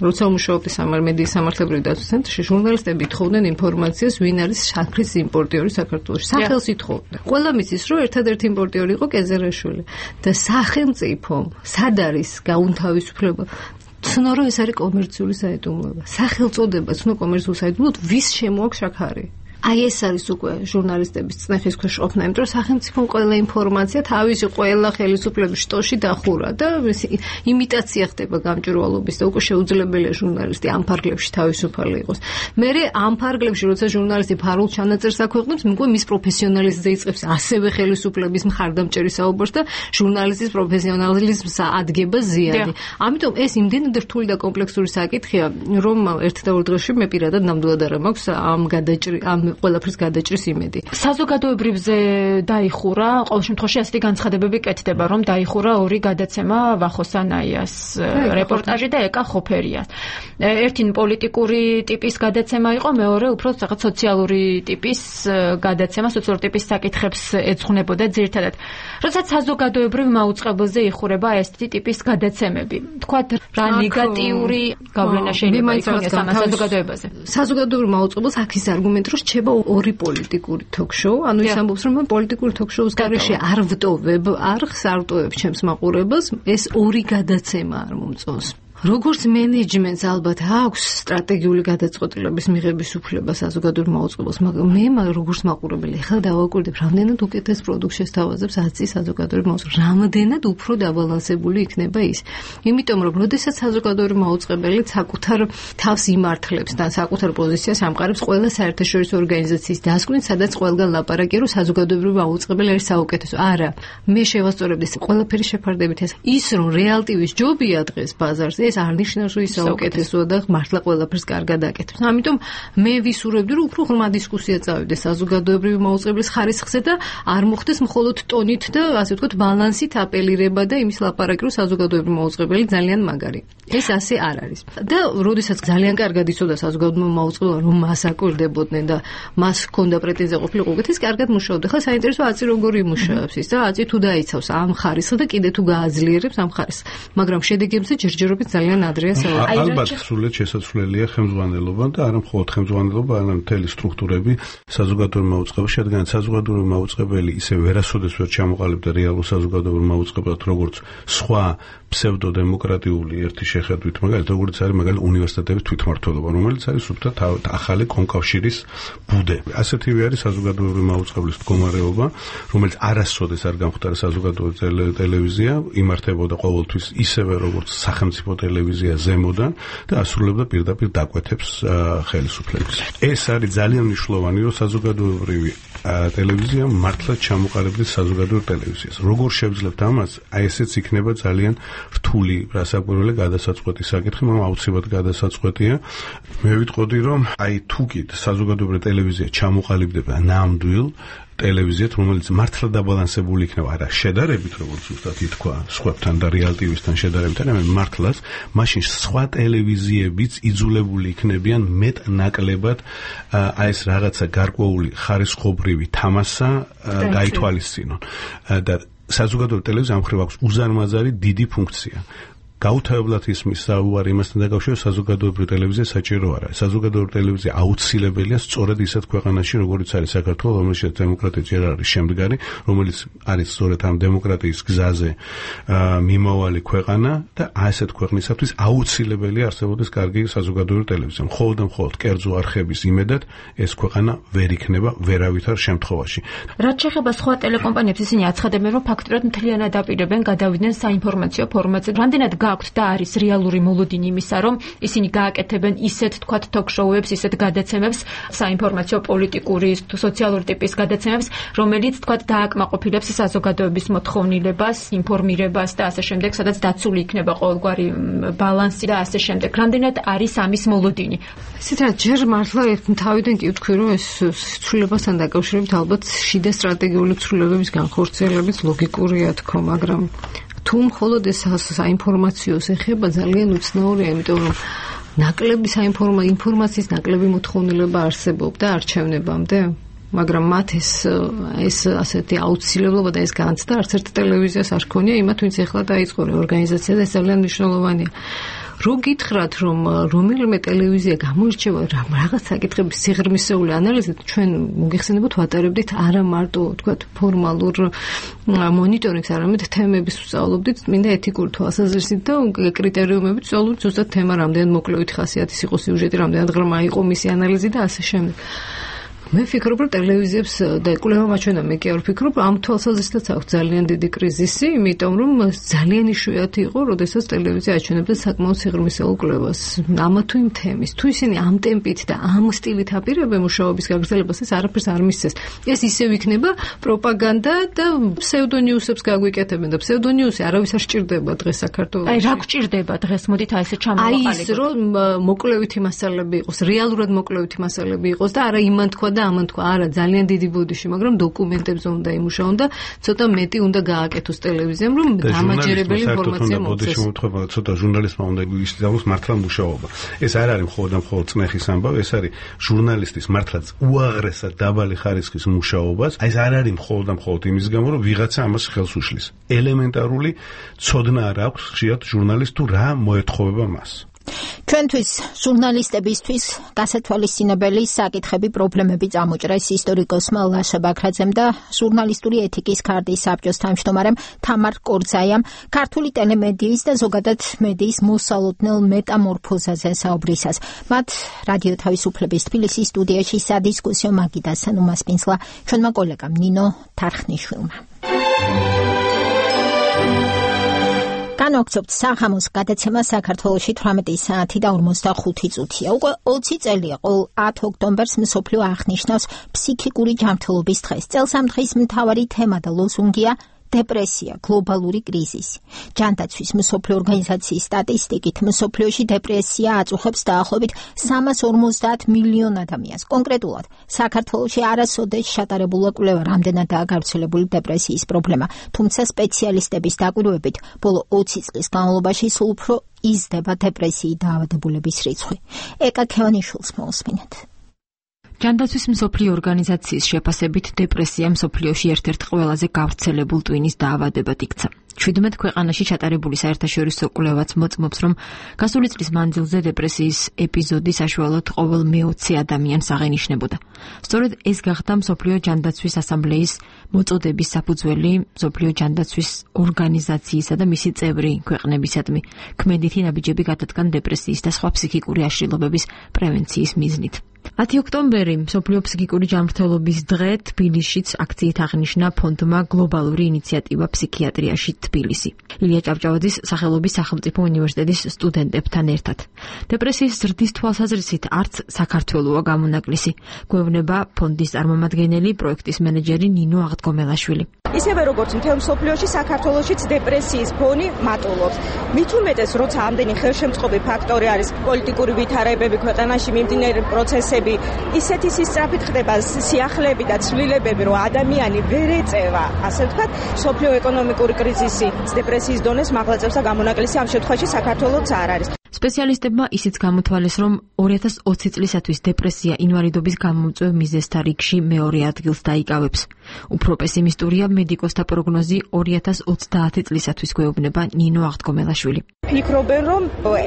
როცა მუშაობდი მედიის სამართლებრივი დაცვის ცენტრში, ჟურნალისტები თხოვდნენ ინფორმაციას, ვინ არის შაქრის იმპორტიორი საქართველოში. სახელს ითხოვდნენ. ყველა მიცის, რომ ერთადერთი იმპორტიორი იყო კეზერაშვილი და სახელმწიფომ სად არის გაუნთავისუფლება? ცნო რომ ეს არის კომერციული საიდუმლოება. სახელწოდება ცნო კომერციულ საიდუმლოდ ვის შემოაქვს აქ არის? აი ეს არის უკვე ჟურნალისტების წნეხის ქვეშ ყოფნა, იმიტომ რომ სახელმწიფომ ყველა ინფორმაცია თავისი ყველა ხელისუფლების შტოში დახურა და იმიტაცია ხდება გამჭვირვალობის და უკვე შეუძლებელია ჟურნალისტი ამ ფარგლებში თავისუფალი იყოს. მერე ამ ფარგლებში როცა ჟურნალისტი ფარულ ჩანაწერს აქვეყნებს, უკვე მის პროფესიონალიზმზე იწყებს ასევე ხელისუფლების მხარდამჭერი საუბარს და ჟურნალისტის პროფესიონალიზმს ადგება ზიანი. ამიტომ ეს იმდენად რთული და კომპლექსური საკითხია, რომ ერთ და ორ დღეში მე პირადად ნამდვილად არ მაქვს ამ ყველაფრის გადაჭრის იმედი.
საზოგადოებრივზე დაიხურა, ყოველ შემთხვევაში ასეთი განცხადებები კეთდება, რომ დაიხურა ორი გადაცემა ვახოსანაიას რეპორტაჟი და ეკა ხოფერიას. ერთი პოლიტიკური ტიპის გადაცემა იყო, მეორე უფრო რაღაც სოციალური ტიპის გადაცემა, სოციალური ტიპის საკითხებს ეძღვნებოდა ძირითადად. როდესაც საზოგადოებრივ მაუწყებელზე იხურება ესეთი ტიპის გადაცემები, თქვათ რა ნეგატიური გავლენა შეიძლება იქონიოს ამ საზოგადოებაზე.
საზოგადოებრივ მაუწყებელს აქ ის არგუმენტი რომ რჩება ორი პოლიტიკური ток-შოუ, ანუ ის ამბობს რომ პოლიტიკური ток-შოუს გარეშე არ ვტოვებ არხს, არ ვტოვებ ჩემს მაყურებელს, ეს ორი გადაცემა არ მომწონს. როგორც მენეჯმენტს ალბათ აქვს სტრატეგიული გადაწყვეტილების მიღების უფლება საზოგადოებრივ მაუწყებელს, მაგრამ მე როგორც მაყურებელი ხელ დავაკვირდებ, რამდენად უკეთეს პროდუქტს შესთავაზებს აცი საზოგადოებრივ მაუწყებელს, რამდენად უფრო დაბალანსებული იქნება ის. იმიტომ რომ როდესაც საზოგადოებრივ მაუწყებელი საკუთარ თავს იმართლებს და საკუთარ პოზიციას ამყარებს ყველა საერთაშორისო ორგანიზაციის დასკვნით, სადაც ყველგან ლაპარაკია, რომ საზოგადოებრივ მაუწყებელი არის საუკეთესო. არა, მე შევასწორებდი ყველაფერი შეფარდებით ის რომ რეალტივის ჯობია დღეს ბაზარზე, ეს არ ნიშნავს რომ ის საუკეთესოა და მართლა ყველაფერს კარგად აკეთებს. ამიტომ მე ვისურვებდი რომ უფრო ღრმა დისკუსია წავიდეს საზოგადოებრივი მაუწყებლის ხარისხზე და არ მოხდეს მხოლოდ ტონით და ასე ვთქვათ ბალანსით აპელირება და იმის ლაპარაკი რომ საზოგადოებრივი მაუწყებელი ძალიან მაგარი. ეს ასე არ არის. და როდესაც ძალიან კარგად იცოდა საზოგადოებრივი მაუწყებელი რომ მას აკვირდებოდნენ და მას ჰქონდა პრეტენზია ყოფილიყო უკეთ, ის კარგად მუშაობდა. ხა საინტერესო აცი როგორი მუშაობს ის და აცი თუ დაიცავს ამ ხარისხს და კიდე თუ გააძლიერებს ამ ხარისხს. მაგრამ შედეგებზე ჯერჯერობით ძალიან ადრეა საუბარი.
ალბათ სრულად შესაძლებელია ხელმძღვანელობა და არა მხოლოდ ხელმძღვანელობა, არამედ მთელი სტრუქტურები საზოგადოებრივ მაუწყებელში, რადგან საზოგადოებრივ მაუწყებელი ისე ვერასოდეს ვერ ჩამოყალიბდა რეალურ საზოგადოებრივ მაუწყებლად, როგორც სხვა ფსევდოდემოკრატიული ერთი შეხედვით, მაგალითად როგორც არის მაგალითად უნივერსიტეტების თვითმმართველობა, რომელიც არის სრულად ახალი კონკავშირის ბუდე. ასეთივე არის საზოგადოებრივ მაუწყებლის მდგომარეობა, რომელიც არასოდეს არ გამختარა საზოგადოებრივ ტელევიზია, იმართებოდა ყოველთვის ისევე როგორც სახელმწიფო ტელევიზია ზემოდან და ასრულებდა პირდაპირ დაკვეთებს ხელისუფლების. ეს არის ძალიან მნიშვნელოვანი, რომ საზოგადოებრივი ტელევიზია მართლაც ჩამოყალიბდეს საზოგადოებრივ ტელევიზიას. როგორ შევძლებთ ამას? აი ესეც იქნება ძალიან რთული რასაკვირველი გადასაწყვეტი საკითხი, მაგრამ აუცილებლად გადასაწყვეტია. მე ვიტყოდი, რომ აი თუკით საზოგადოებრივ ტელევიზია ჩამოყალიბდება ნამდვილ ტელევიზიად, რომელიც მართლა დაბალანსებული იქნება, არა შედარებით, როგორც ზუსტად ითქვა, სხვებთან და რეალტივისთან შედარებით, არამედ მართლაც, მაშინ სხვა ტელევიზიებიც იძულებული იქნებიან მეტ-ნაკლებად აი ეს რაღაცა გარკვეული ხარისხობრივი თამასა გაითვალისწინონ. და საზოგადოებრივ ტელევიზიამ მხრივ აქვს უზარმაზარი დიდი ფუნქცია. გაუთავებლად ისმის საუბარი იმასთან დაკავშირებით, საზოგადოებრივი ტელევიზია საჭირო არა. საზოგადოებრივი ტელევიზია აუცილებელია სწორედ ისეთ ქვეყანაში, როგორც არის საქართველო, რომელშიც დემოკრატია ჯერ არის შემდგარი, რომელიც არის სწორედ ამ დემოკრატიის გზაზე მიმავალი ქვეყანა და ასეთ ქვეყნისათვის აუცილებელია არსებობდეს კარგი საზოგადოებრივი ტელევიზია. მხოლოდ და მხოლოდ კერძო არხების იმედად ეს ქვეყანა ვერ იქნება ვერავითარ შემთხვევაში.
რაც შეეხება სხვა ტელეკომპანიებს, ისინი აცხადებენ, რომ ფაქტურად მთლიანად აპირებენ გადავიდნენ საინფორმაციო ფორმატზე. რამდენად გაქვთ და არის რეალური მოლოდინი იმისა, რომ ისინი გააკეთებენ ისეთ თქვათ ток-შოუებს, ისეთ გადაცემებს, საინფორმაციო პოლიტიკური, სოციალური ტიპის გადაცემებს, რომელიც თქვათ დააკმაყოფილებს საზოგადოების მოთხოვნილებას, ინფორმირებას და ასე შემდეგ, სადაც დაცული იქნება ყოველგვარი ბალანსი და ასე შემდეგ. რამდენად არის ამის მოლოდინი?
ისეთ რა ჯერ მართლა თავიდან კი ვთქვი, რომ ეს ცვლილებასთან დაკავშირებით ალბათ შიდა სტრატეგიული ცვლილებების განხორციელებით ლოგიკურია თქო, მაგრამ თუ მხოლოდ ეს საინფორმაციოს ეხება ძალიან უცნაურია, იმიტომ რომ ნაკლები ინფორმაციის ნაკლები მოთხოვნილება არსებობდა არჩევნებამდე, მაგრამ მათ ეს ასეთი აუცილებლობა და ეს განცდა არც ერთ ტელევიზიას არ ჰქონია, იმათ ვინც ეხლა დაიწყო რეორგანიზაცია და ეს ძალიან მნიშვნელოვანია. რო გითხრათ, რომ რომელიმე ტელევიზია გამოირჩევა რაღაც საკითხების სიღრმისეული ანალიზით, ჩვენ მოგეხსენებათ ვატარებდით არა მარტო თქვათ ფორმალურ მონიტორინგს, არამედ თემების ვსწავლობდით, მინდა ეთიკური თვალსაზრისით და კრიტერიუმებით ვსწავლობდით ზუსტად თემა რამდენად მოკლევით ხასიათის იყო სიუჟეტი, რამდენად ღრმა იყო მისი ანალიზი და ასე შემდეგ. მე ვფიქრობ, რომ ტელევიზიებს და კვლევა მაჩვენა, მე კი არ ვფიქრობ, ამ თვალსაზრისითაც აქვს ძალიან დიდი კრიზისი, იმიტომ რომ ძალიან იშვიათი იყო, როდესაც ტელევიზია აჩვენებდა საკმაოდ სიღრმისეულ კვლევას ამა თუ იმ თემის. თუ ისინი ამ ტემპით და ამ სტილით აპირებენ მუშაობის გაგრძელებას, ეს არაფერს არ მისცეს. ეს ისევ იქნება პროპაგანდა და ფსევდონიუსებს გაგვიკეთებენ და ფსევდონიუსი არავის არ სჭირდება დღეს საქართველოში.
აი რა გჭირდება დღეს, მოდით აი ესე ჩამოვაყალიბოთ.
აი ის რომ მოკლევითი მასალები იყოს, რეალურად მოკლევითი მასალები იყოს და არა იმან თქვა და ამან თქვა, არა ძალიან დიდი ბოდიში, მაგრამ დოკუმენტებზე უნდა იმუშაონ და ცოტა მეტი უნდა გააკეთოს ტელევიზიამ, რომ დამაჯერებელი ინფორმაცია მოწეს.
ბოდიში მომთხოვა ცოტა ჟურნალისტმა უნდა ისწავლოს მართლა მუშაობა. ეს არ არის მხოლოდ წმეხის ამბავი, ეს არის ჟურნალისტის მართლაც უაღრესად დაბალი ხარისხის მუშაობას. აი ეს არ არის მხოლოდ იმის გამო, რომ ვიღაცა ამას ხელს უშლის. ელემენტარული ცოდნა არ აქვს ხშირად ჟურნალისტ თუ რა მოეთხოვება მას.
ჩვენთვის ჟურნალისტებისთვის გასათვალისწინებელი საკითხები, პრობლემები წამოჭრეს ისტორიკოსმა ლაშა ბაქრაძემ და ჟურნალისტური ეთიკის ქარტის საბჭოს თავმჯდომარემ თამარ კორძაიამ ქართული ტელემედიის და ზოგადად მედიის მოსალოდნელ მეტამორფოზაზე საუბრისას. მათ რადიო თავისუფლების თბილისის სტუდიაში სადისკუსიო მაგიდასთან უმასპინძლა ჩვენმა კოლეგამ ნინო თარხნიშვილმა. განვაგრძობთ საღამოს გადაცემა საქართველოში 18 საათი და 45 წუთია. უკვე 20 წელია ყოველ 10 ოქტომბერს მსოფლიო აღნიშნავს ფსიქიკური ჯანმრთელობის დღეს. წელს ამ დღის მთავარი თემა და ლოზუნგია დეპრესია, გლობალური კრიზისი. ჯანდაცვის მსოფლიო ორგანიზაციის სტატისტიკით მსოფლიოში დეპრესია აწუხებს დაახლოებით 350 მილიონ ადამიანს. კონკრეტულად, საქართველოში არასოდეს ჩატარებულა კვლევა რამდენადაა გავრცელებული დეპრესიის პრობლემა, თუმცა სპეციალისტების დაკვირვებით, ბოლო 20 წლის განმავლობაში სულ უფრო იზრდება დეპრესიით დაავადებულების რიცხვი. ეკა ქევანიშვილს მოусმინეთ.
ჯანდაცვის მსოფლიო ორგანიზაციის შეფასებით დეპრესია მსოფლიოში ერთ-ერთ ყველაზე გავრცელებულ ტვინის დაავადებად იქცა. 17 ქვეყანაში ჩატარებული საერთაშორისო კვლევაც მოწმობს, რომ გასული წლის მანძილზე დეპრესიის ეპიზოდი საშუალოდ ყოველ მე-20 ადამიანს აღენიშნებოდა. სწორედ ეს გახდა მსოფლიო ჯანდაცვის ასამბლეის მოწოდების საფუძველი მსოფლიო ჯანდაცვის ორგანიზაციისა და მისი წევრი ქვეყნებისადმი ქმედითი ნაბიჯები გადადგან დეპრესიის და სხვა ფსიქიკური აშლილობების პრევენციის მიზნით. 10 ოქტომბერი მსოფლიო ფსიქიკური ჯანმრთელობის დღე თბილისშიც აქციით აღნიშნა ფონდმა გლობალური ინიციატივა ფსიქიატრიაში თბილისი. ილია ჭავჭავაძის სახელობის სახელმწიფო უნივერსიტეტის სტუდენტებთან ერთად. დეპრესიის ზრდის თვალსაზრისით არც საქართველოა გამონაკლისი, გვევნება ფონდის წარმომადგენელი, პროექტის მენეჯერი ნინო აღდგომელაშვილი.
ისევე როგორც მთელ მსოფლიოში, საქართველოშიც დეპრესიის ფონი მატულობს. მით უმეტეს, როცა ამდენი ხელშემწყობი ფაქტორი არის, პოლიტიკური ვითარებები ქვეყანაში, მიმდინარე პროცესები, ისეთი სისწრაფით ხდება სიახლეები და ცვლილებები, რომ ადამიანი ვერ ეწევა, ასე ვთქვათ, მსოფლიო ეკონომიკური კრიზისი დეპრესიის დონეს მაღლა წევს და გამონაკლისი ამ შემთხვევაში საქართველოც არ არის.
სპეციალისტებმა ისიც გამოთვალეს, რომ 2020 წლისათვის დეპრესია ინვალიდობის გამომწვევ მიზეზთა რიგში მეორე ადგილს დაიკავებს. უფრო პესიმისტურია მედიკოსთა პროგნოზი 2030 წლისათვის, გვეუბნება ნინო აღდგომელაშვილი.
ფიქრობენ, რომ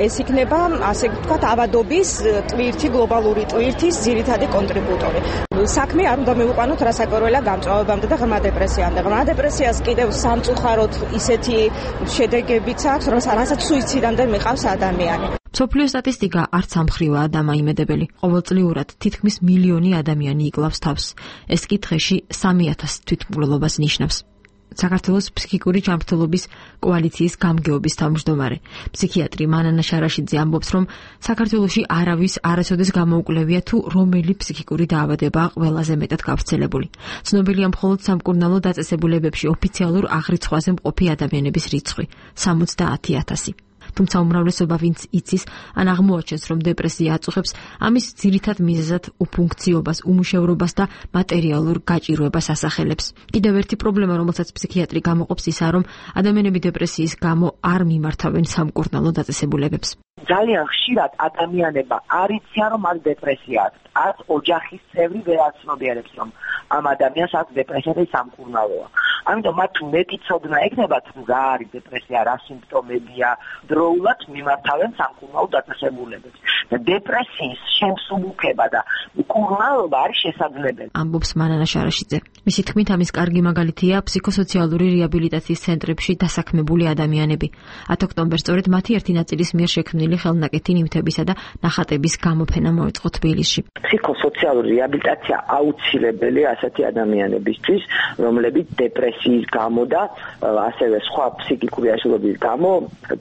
ეს იქნება, ასე ვთქვათ, ავადობის ტვირთი, გლობალური ტვირთის ძირითადი კონტრიბუტორი. საქმე არ უნდა მივუყანოთ რასაკვირველია გამწვავებამდე და ღრმა დეპრესიამდე. ღრმა დეპრესიას კიდევ სამწუხაროდ ისეთი შედეგებიც აქვს, რასაც სუიციდამდე მიყავს ადამიანი.
მსოფლიო სტატისტიკა არც ამხრივაა დამაიმედებელი. ყოველწლიურად თითქმის მილიონი ადამიანი იკლავს თავს. ეს კი დღეში 3000 თვითმკვლელობას ნიშნავს. საქართველოს ფსიქიკური ჯანმრთელობის კოალიციის გამგეობის თავმჯდომარე ფსიქიატრი მანანა შარაშიძე ამბობს, რომ საქართველოში არავის არასოდეს გამოუკვლევია თუ რომელი ფსიქიკური დაავადებაა ყველაზე მეტად გავრცელებული. ცნობილია მხოლოდ სამკურნალო დაწესებულებებში ოფიციალურ აღრიცხვაზე მყოფი ადამიანების რიცხვი 70,000. თუმცა უმრავლესობა ვინც იცის, ან აღმოაჩენს, რომ დეპრესია აწუხებს, ამის ძირითად მიზეზად უფუნქციობას, უმუშევრობას და მატერიალურ გაჭირვებას ასახელებს. კიდევ ერთი პრობლემა, რომელსაც ფსიქიატრი გამოყოფს, ისაა, რომ ადამიანები დეპრესიის გამო არ მიმართავენ სამკურნალო დაწესებულებებს.
ძალიან ხშირად ადამიანება არ იციან, რომ მას დეპრესია აქვს. არც ოჯახის წევრი ვერ აცნობიერებს, რომ ამ ადამიანს აქვს დეპრესია და სამკურნალოა. ამიტომ მათ მეტი ცოდნა ექნებათ, რა არის დეპრესია, რა სიმპტომებია, დროულად მიმართავენ სამკურნალო დაწესებულებებს. დეპრესიის შემსუბუქება და მკურნალობა არის შესაძლებელი.
ამბობს მანანა შარაშიძე. მისი თქმით, ამის კარგი მაგალითია ფსიქოსოციალური რეაბილიტაციის ცენტრებში დასაქმებული ადამიანები. 10 ოქტომბერს სწორედ მათი ერთი ნაწილის მიერ შექმნილი ხელნაკეთი ნივთებისა და ნახატების გამოფენა მოეწყო თბილისში.
ფსიქოსოციალური რეაბილიტაცია აუცილებელია ასეთი ადამიანებისთვის, რომლებიც დეპრესიის გამო და ასევე სხვა ფსიქიკური აშლილობის გამო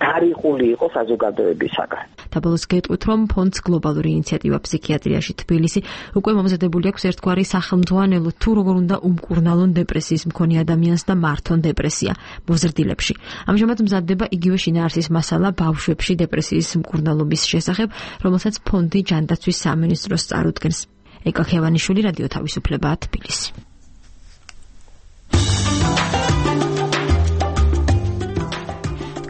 დარიყული იყო საზოგადოებისაგან.
დაბოლოს გეტყვით, რომ ფონდს გლობალური ინიციატივა ფსიქიატრიაში თბილისი უკვე მომზადებული აქვს ერთგვარი სახელმძღვანელო თუ როგორ უნდა უმკურნალონ დეპრესიის მქონე ადამიანს და მართონ დეპრესია მოზრდილებში. ამჟამად მზადდება იგივე შინაარსის მასალა ბავშვებში დეპრესიის მკურნალობის შესახებ, რომელსაც ფონდი ჯანდაცვის სამინისტროს წარუდგენს. ეკა ხევანიშვილი, რადიო თავისუფლება, თბილისი.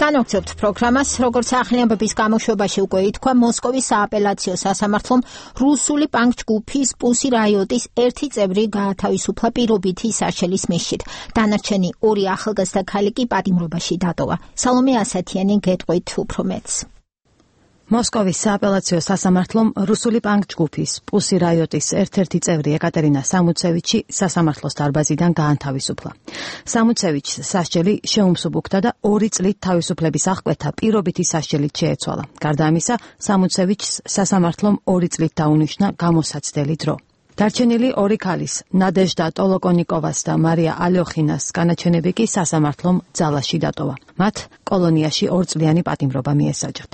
განვაგრძობთ პროგრამას, როგორც ახალი ამბების გამოშვებაში უკვე ითქვა, მოსკოვის სააპელაციო სასამართლომ რუსული პანკ-ჯგუფის პუსი რაიოტის ერთი წევრი გაათავისუფლა პირობითი საშელის მისჯით. დანარჩენი 2 ახალგაზრდა ქალი კი პატიმრობაში დატოვა. სალომე ასათიანი გეტყვით უფრო მეტს.
მოსკოვის სააპელაციო სასამართლომ რუსული პანკ-ჯგუფის პუსი რაიოტის ერთ-ერთი წევრი ეკატერინა სამუცევიჩი სასამართლოს დარბაზიდან გაანთავისუფლა. სამუცევიჩს სასჯელი შეუმსუბუქდა და 2 წლით თავისუფლების აღკვეთა პირობითი სასჯელით შეეცვალა. გარდა ამისა, სამუცევიჩს სასამართლომ 2 წლით დაუნიშნა გამოსაცდელი დრო. დარჩენილი 2 ქალის, ნადეჟდა ტოლოკონიკოვას და მარია ალოხინას განაჩენები კი სასამართლომ ძალაში დატოვა. მათ კოლონიაში 2 წლიანი პატიმრობა მიესაჯათ.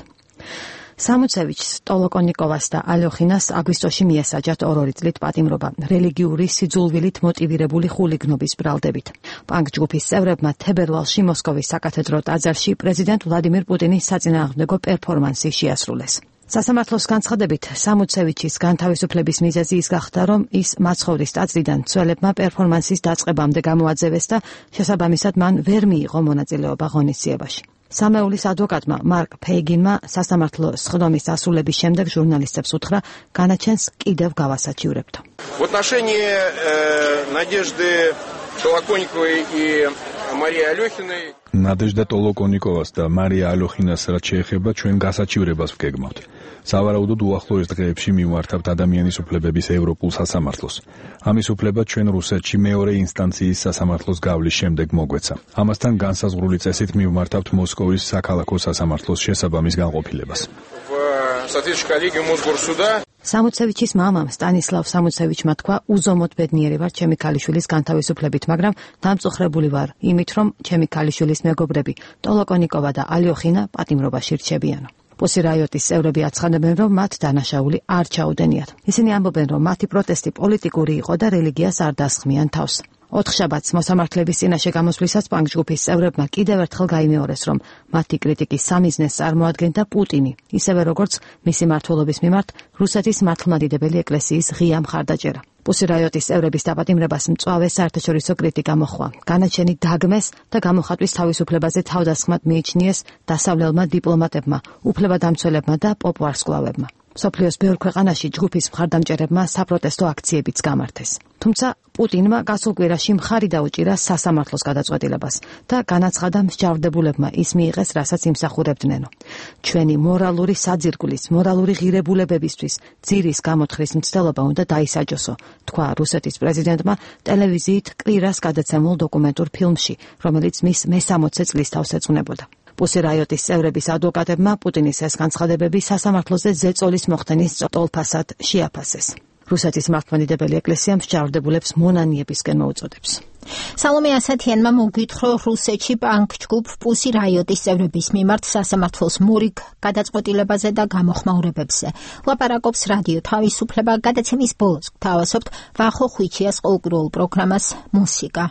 სამუცევიჩს, ტოლოკონიკოვას და ალოხინას აგვისტოში მიესაჯათ 2 წლით პატიმრობა რელიგიური სიძულვილით მოტივირებული ხულიგნობის ბრალდებით. პანკ-ჯგუფის წევრებმა თებერვალში მოსკოვის საკათედრო ტაძარში პრეზიდენტ ვლადიმირ პუტინის საწინააღმდეგო პერფორმანსი შეასრულეს. სასამართლოს განცხადებით, სამუცევიჩის განთავისუფლების მიზეზი ის გახდა, რომ ის მაცხოვრის ტაძრიდან მცველებმა პერფორმანსის დაწყებამდე გამოაძევეს და შესაბამისად მან ვერ მიიღო მონაწილეობა ღონისძიებაში. სამეულის ადვოკატმა მარკ ფეიგინმა სასამართლო სხდომის დასრულების შემდეგ ჟურნალისტებს უთხრა, განაჩენს კიდევ გავასაჩივრებთო.
В отношении Надежды Толоконниковой и Марии Алёхиной
ნადეჟდა ტოლოკონიკოვას და მარია ალოხინას რაც შეეხება ჩვენ გასაჩივრებას ვგეგმავთ. სავარაუდოდ უახლოეს დღეებში მივმართავთ ადამიანის უფლებების ევროპულ სასამართლოს. ამის უფლება ჩვენ რუსეთში მეორე ინსტანციის სასამართლოს გავლის შემდეგ მოგვეცა. ამასთან განსაზღვრული წესით მივმართავთ მოსკოვის საქალაქო სასამართლოს შესაბამის განყოფილებას.
სამუცევიჩის მამამ სტანისლავ სამუცევიჩმა თქვა, უზომოდ ბედნიერი ვარ ჩემი ქალიშვილის განთავისუფლებით, მაგრამ დამწუხრებული ვარ იმით, რომ ჩემი ქალიშვილის მეგობრები ტოლოკონიკოვა და ალოხინა პატიმრობაში რჩებიანო. პუსი რაიოტის წევრები აცხადებენ, რომ მათ დანაშაული არ ჩაუდენიათ. ისინი ამბობენ, რომ მათი პროტესტი პოლიტიკური იყო და რელიგიას არ დასხმიან თავს. 4 შაბათს მოსამართლეების წინაშე გამოსვლისას პანკ-ჯგუფის წევრებმა კიდევ ერთხელ გაიმეორეს, რომ მათი კრიტიკის სამიზნეს წარმოადგენდა პუტინი, ისევე როგორც მისი მმართველობის მიმართ რუსეთის მართლმადიდებელი ეკლესიის ღია მხარდაჭერა. პუსი რაიოტის წევრების დაპატიმრებას მწვავე საერთაშორისო კრიტიკა მოჰყვა. განაჩენი დაგმეს და გამოხატვის თავისუფლებაზე თავდასხმად მიიჩნიეს დასავლელმა დიპლომატებმა, უფლებადამცველებმა და პოპვარსკვლავებმა. სოფლიოს ბევრ ქვეყანაში ჯგუფის მხარდამჭერებმა საპროტესტო აქციებიც გამართეს. თუმცა პუტინმა გასულ კვირაში მხარი დაუჭირა სასამართლოს გადაწყვეტილებას და განაცხადა მსჯავრდებულებმა ის მიიღეს, რასაც იმსახურებდნენო. ჩვენი მორალური საძირკვლის, მორალური ღირებულებებისთვის ძირის გამოთხრის მცდელობა უნდა დაისაჯოსო, თქვა რუსეთის პრეზიდენტმა ტელევიზიით კვირას გადაცემულ დოკუმენტურ ფილმში, რომელიც მის მე-60 წლის თავს ეძღვნებოდა. პუსი რაიოტის წევრების ადვოკატებმა პუტინის ეს განცხადებები სასამართლოზე ზეწოლის მოხდენის ტოლფასად შეაფასეს. რუსეთის მართლმადიდებელი ეკლესია მსჯავრდებულებს მონანიებისკენ მოუწოდებს.
სალომე ასათიანმა მოგვითხრა რუსეთში პანკ-ჯგუფ პუსი რაიოტის წევრების მიმართ სასამართლოს მორიგ გადაწყვეტილებაზე და გამოხმაურებებზე. ლაპარაკობს რადიო თავისუფლება. გადაცემის ბოლოს გთავაზობთ ვახო ხვიჩიას ყოველკვირეულ პროგრამას მუსიკა.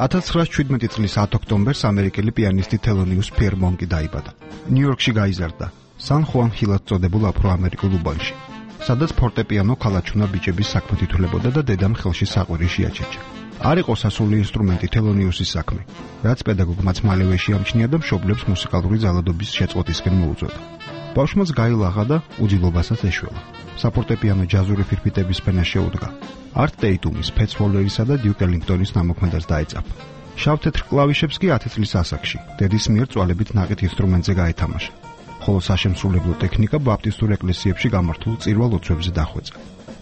$1917 წლის 10 ოქტომბერს ამერიკელი პიანისტი თელონიუს ფერმონკი დაიბადა. ნიუ-იორკში გაიზარდა, სან ხუან ჰილად წოდებულ აფრო-ამერიკულ უბანში, სადაც ფორტეპიანო ქალაჩუნა ბიჭების საქმით ითვლებოდა და დედამ ხელში საყვირი შეაჩეჩა. არ იყო სასული ინსტრუმენტი თელონიუსის საქმე, რაც პედაგოგმაც მალევე შეამჩნია და მშობლებს მუსიკალური ძალადობის შეწყვეტისკენ მოუწოდა. ბავშვმაც გაილაღა და უძილობასაც ეშველა. საფორტეპიანო ჯაზური ფირფიტების ფენა შეუდგა. არტ ტეიტუმის, ფეტს ვოლერისა და დიუკ ელინგტონის ნამოქმედას დაეწაფა. შავ-თეთრ კლავიშებს კი 10 წლის ასაკში დედის მიერ წვალებით ნაყიდ ინსტრუმენტზე გაეთამაშა. ხოლო საშემსრულებლო ტექნიკა ბაპტისტურ ეკლესიებში გამართულ წირვალ ოცვებზე დახვეწა.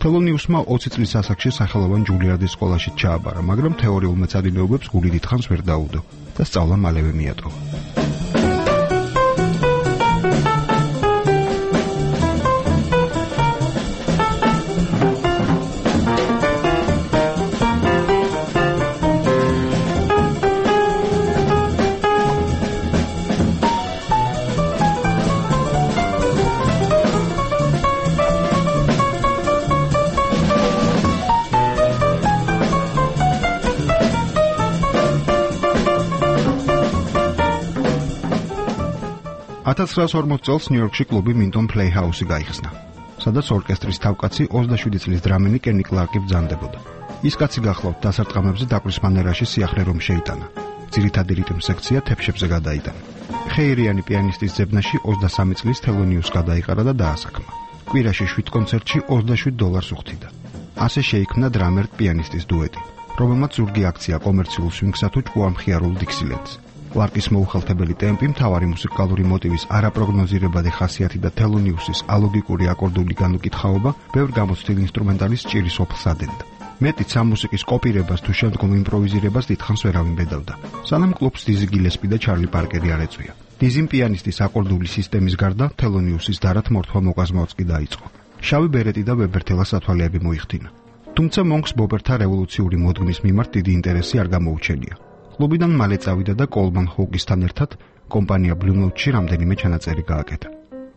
თელონიუსმა 20 წლის ასაკში სახელოვან ჯულიარდის სკოლაში ჩააბარა, მაგრამ თეორიულ მეცადინეობებს გული დიდხანს ვერ დაუდო და სწავლა მალევე მიატოვა. წელს ნიუ-იორკში კლუბი Minton Playhouse-ი გაიხსნა, სადაც ორკესტრის თავკაცი 27 წლის დრამენი კენი კლარკი ბრძანდებოდა. ის კაცი გახლავთ დასარტყამებზე დაკვრის მანერაში სიახლე რომ შეიტანა. ძირითადი რიტმ სექცია თეფშებზე გადაიტანა. ხეირიანი პიანისტის ძებნაში 23 წლის თელონიუსს გადაიყარა და დაასაქმა. კვირაში 7 კონცერტში $27 უხდიდა. ასე შეიქმნა დრამერ პიანისტის დუეტი, რომელმაც ზურგი აქცია კომერციულ სვინგსა თუ ჭკუამხიარულ დიქსილენდს. კლარკის მოუხალთებელი ტემპი, მთავარი მუსიკალური მოტივის არაპროგნოზირებადი ხასიათი და თელონიუსის ალოგიკური აკორდული განუკითხაობა ბევრ გამოცდილ ინსტრუმენტალის ჭირის ოფლს ადენდა. მეტიც ამ მუსიკის კოპირებას თუ შემდგომ იმპროვიზირებას დიდხანს ვერავინ ბედავდა. სანამ კლუბს დიზი გილესპი და ჩარლი პარკერი არ ეწვია. დიზიმ პიანისტის აკორდული სისტემის გარდა თელონიუსის დარად მორთვა მოკაზმავაც კი დაიწყო. შავი ბერეტი და ვებერთელა სათვალეები მოიხდინა. თუმცა მონკს ბობერთა რევოლუციური მოდგმის მიმართ დიდი ინტერესი არ გამოუჩენია. კლუბიდან მალე წავიდა და კოლმან ჰოუკისთან ერთად კომპანია Blue Note-ში რამდენიმე ჩანაწერი გააკეთა.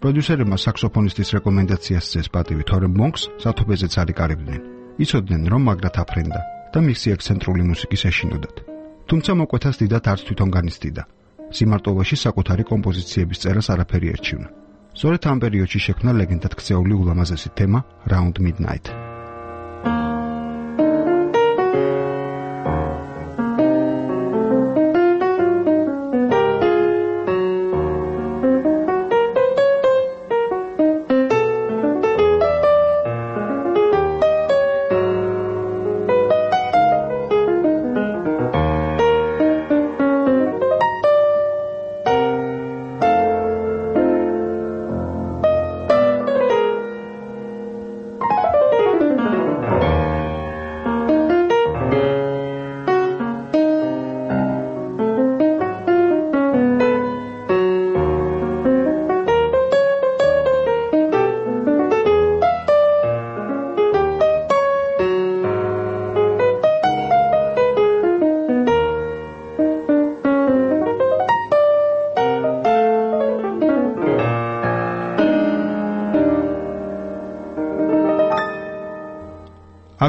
პროდიუსერებმა საქსოფონისტის რეკომენდაციას სცეს პატივი, თორემ მონკს სათობეზეც არ იკარებდნენ. იცოდნენ, რომ მაგრად აფრენდა და მისი ექსცენტრული მუსიკის ეშინოდათ. თუმცა მოკვეთას დიდად არც თვითონ განიცდიდა. სიმარტოვაში საკუთარი კომპოზიციების წერას არაფერი ერჩივნა. სწორედ ამ პერიოდში შექმნა ლეგენდად ქცეული ულამაზესი თემა Round Midnight.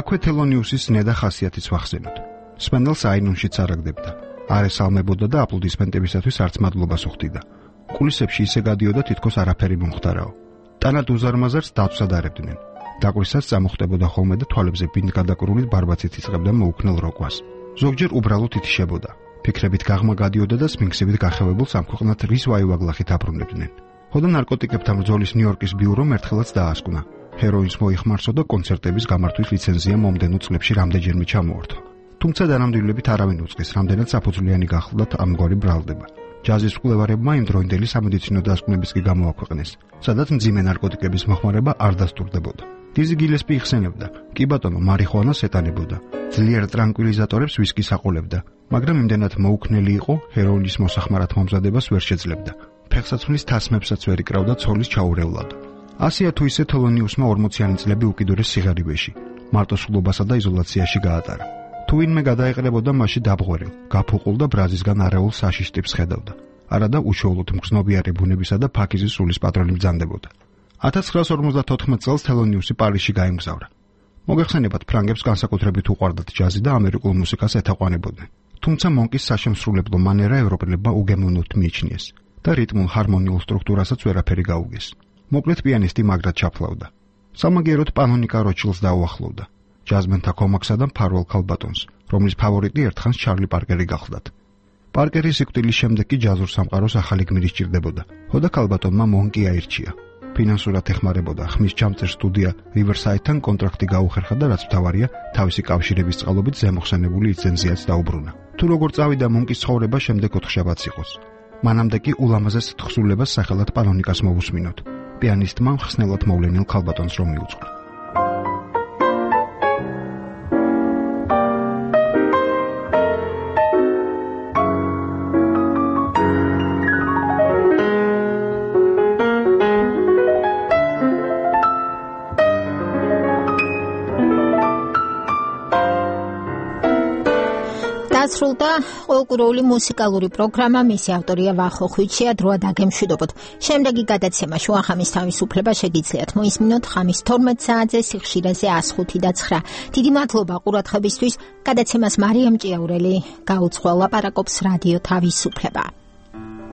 აქვე თელონიუსის ნედა ხასიათიც ვახსენოთ. სპენელს აინუნშიც არაგდებდა. არ ესალმებოდა და აპლოდისმენტებისათვის არც მადლობას უხდიდა. კულისებში ისე გადიოდა თითქოს არაფერი მომხდარაო. ტანად უზარმაზარს დაცვად არებდნენ. დაკვისას წამოხდებოდა ხოლმე და თვალებზე ბინდგადაკრული ბარბაცით იწყებდა მოუქნელ როკვას. ზოგჯერ უბრალოდ ითიშებოდა. ფიქრებით გაღმა გადიოდა და სმინქსებით გახევებულ სამქვეყნად რის ვაივაგლახით აბრუნებდნენ. ხოდა ნარკოტიკებთან ბრძოლის ნიუ-იორკის ბიურომ ერთხელაც დაასკვნა. ჰეროინს მოიხმარსო და კონცერტების გამართვის ლიცენზია მომდენო წლებში რამდენჯერმე ჩამოორთო. თუმცა დანამდვილებით არავინ უწყის, რამდენად საფუძვლიანი გახლდათ ამგვარი ბრალდება. ჯაზის მკვლევარებმა იმ დროინდელი სამედიცინო დასკვნებიც კი გამოაქვეყნეს, სადაც მძიმე ნარკოტიკების მოხმარება არ დასტურდებოდა. დიზი გილესპი იხსენებდა, კი ბატონო, მარიხუანას ეტანებოდა, ძლიერ ტრანკვილიზატორებს ვისკის აყოლებდა, მაგრამ იმდენად მოუქნელი იყო, ჰეროინის მოსახმარად მომზადებას ვერ შეძლებდა. ფეხსაცმლის თასმებსაც ვერ იკრავდა ცოლის ჩაურევლად. ასია თუ ისე თელონიუსმა 40-იანი წლები უკიდურეს სიღარიბეში, მარტოსულობასა და იზოლაციაში გაატარა. თუ ვინმე გადაეყრებოდა მასში დაბღვერილ, გაფუყულ და ბრაზისგან არეულ საშიშ ტიპს ხედავდა. არადა უშუალოდ მგრძნობიარე ბუნებისა და ფაქიზის სულის პატრონი ბრძანდებოდა. 1954 წელს თელონიუსი პარიზში გაემგზავრა. მოგეხსენებათ, ფრანგებს განსაკუთრებით უყვარდათ ჯაზი და ამერიკულ მუსიკას ეთაყვანებოდნენ. თუმცა მონკის საშემსრულებლო მანერა ევროპელებმა უგემოვნოდ მიიჩნიეს და რიტმულ ჰარმონიულ სტრუქტურასაც ვერაფერი გაუგეს. მოკლედ პიანისტი მაგრად ჩაფლავდა. სამაგიეროდ პანონიკა როჩილს დაუახლოვდა. ჯაზმენთა კომაქსა და მფარველ ქალბატონს, რომლის ფავორიტი ერთხანს ჩარლი პარკერი გახლდათ. პარკერის სიკვდილის შემდეგ კი ჯაზურ სამყაროს ახალი გმირი სჭირდებოდა. ჰოდა ქალბატონმა მონკი აირჩია. ფინანსურად ეხმარებოდა ხმის ჩამწერ სტუდია Riverside-თან კონტრაქტი გაუხერხა და რაც მთავარია, თავისი კავშირების წყალობით ზემოხსენებული ლიცენზიაც დაუბრუნა. თუ როგორ წავიდა მონკის ცხოვრება შემდეგ 4 შაბათს იყოს. მანამდე კი ულამაზეს თხზულებას სახელად პანონიკას მოვუსმინოთ. პიანისტმა ხსნელად მოვლენილ ქალბატონს რომ მიუძღვნა.
დასრულდა ყოველკვირეული მუსიკალური პროგრამა, მისი ავტორია ვახო ხვიჩია, დროა დაგემშვიდობოთ. შემდეგი გადაცემა შუახამის თავისუფლება შეგიძლიათ მოისმინოთ ხამის 12 საათზე სიხშირეზე 105.9. დიდი მადლობა ყურადღებისთვის. გადაცემას მარიამ ჭიაურელი გაუძღვა, ლაპარაკობს რადიო თავისუფლება.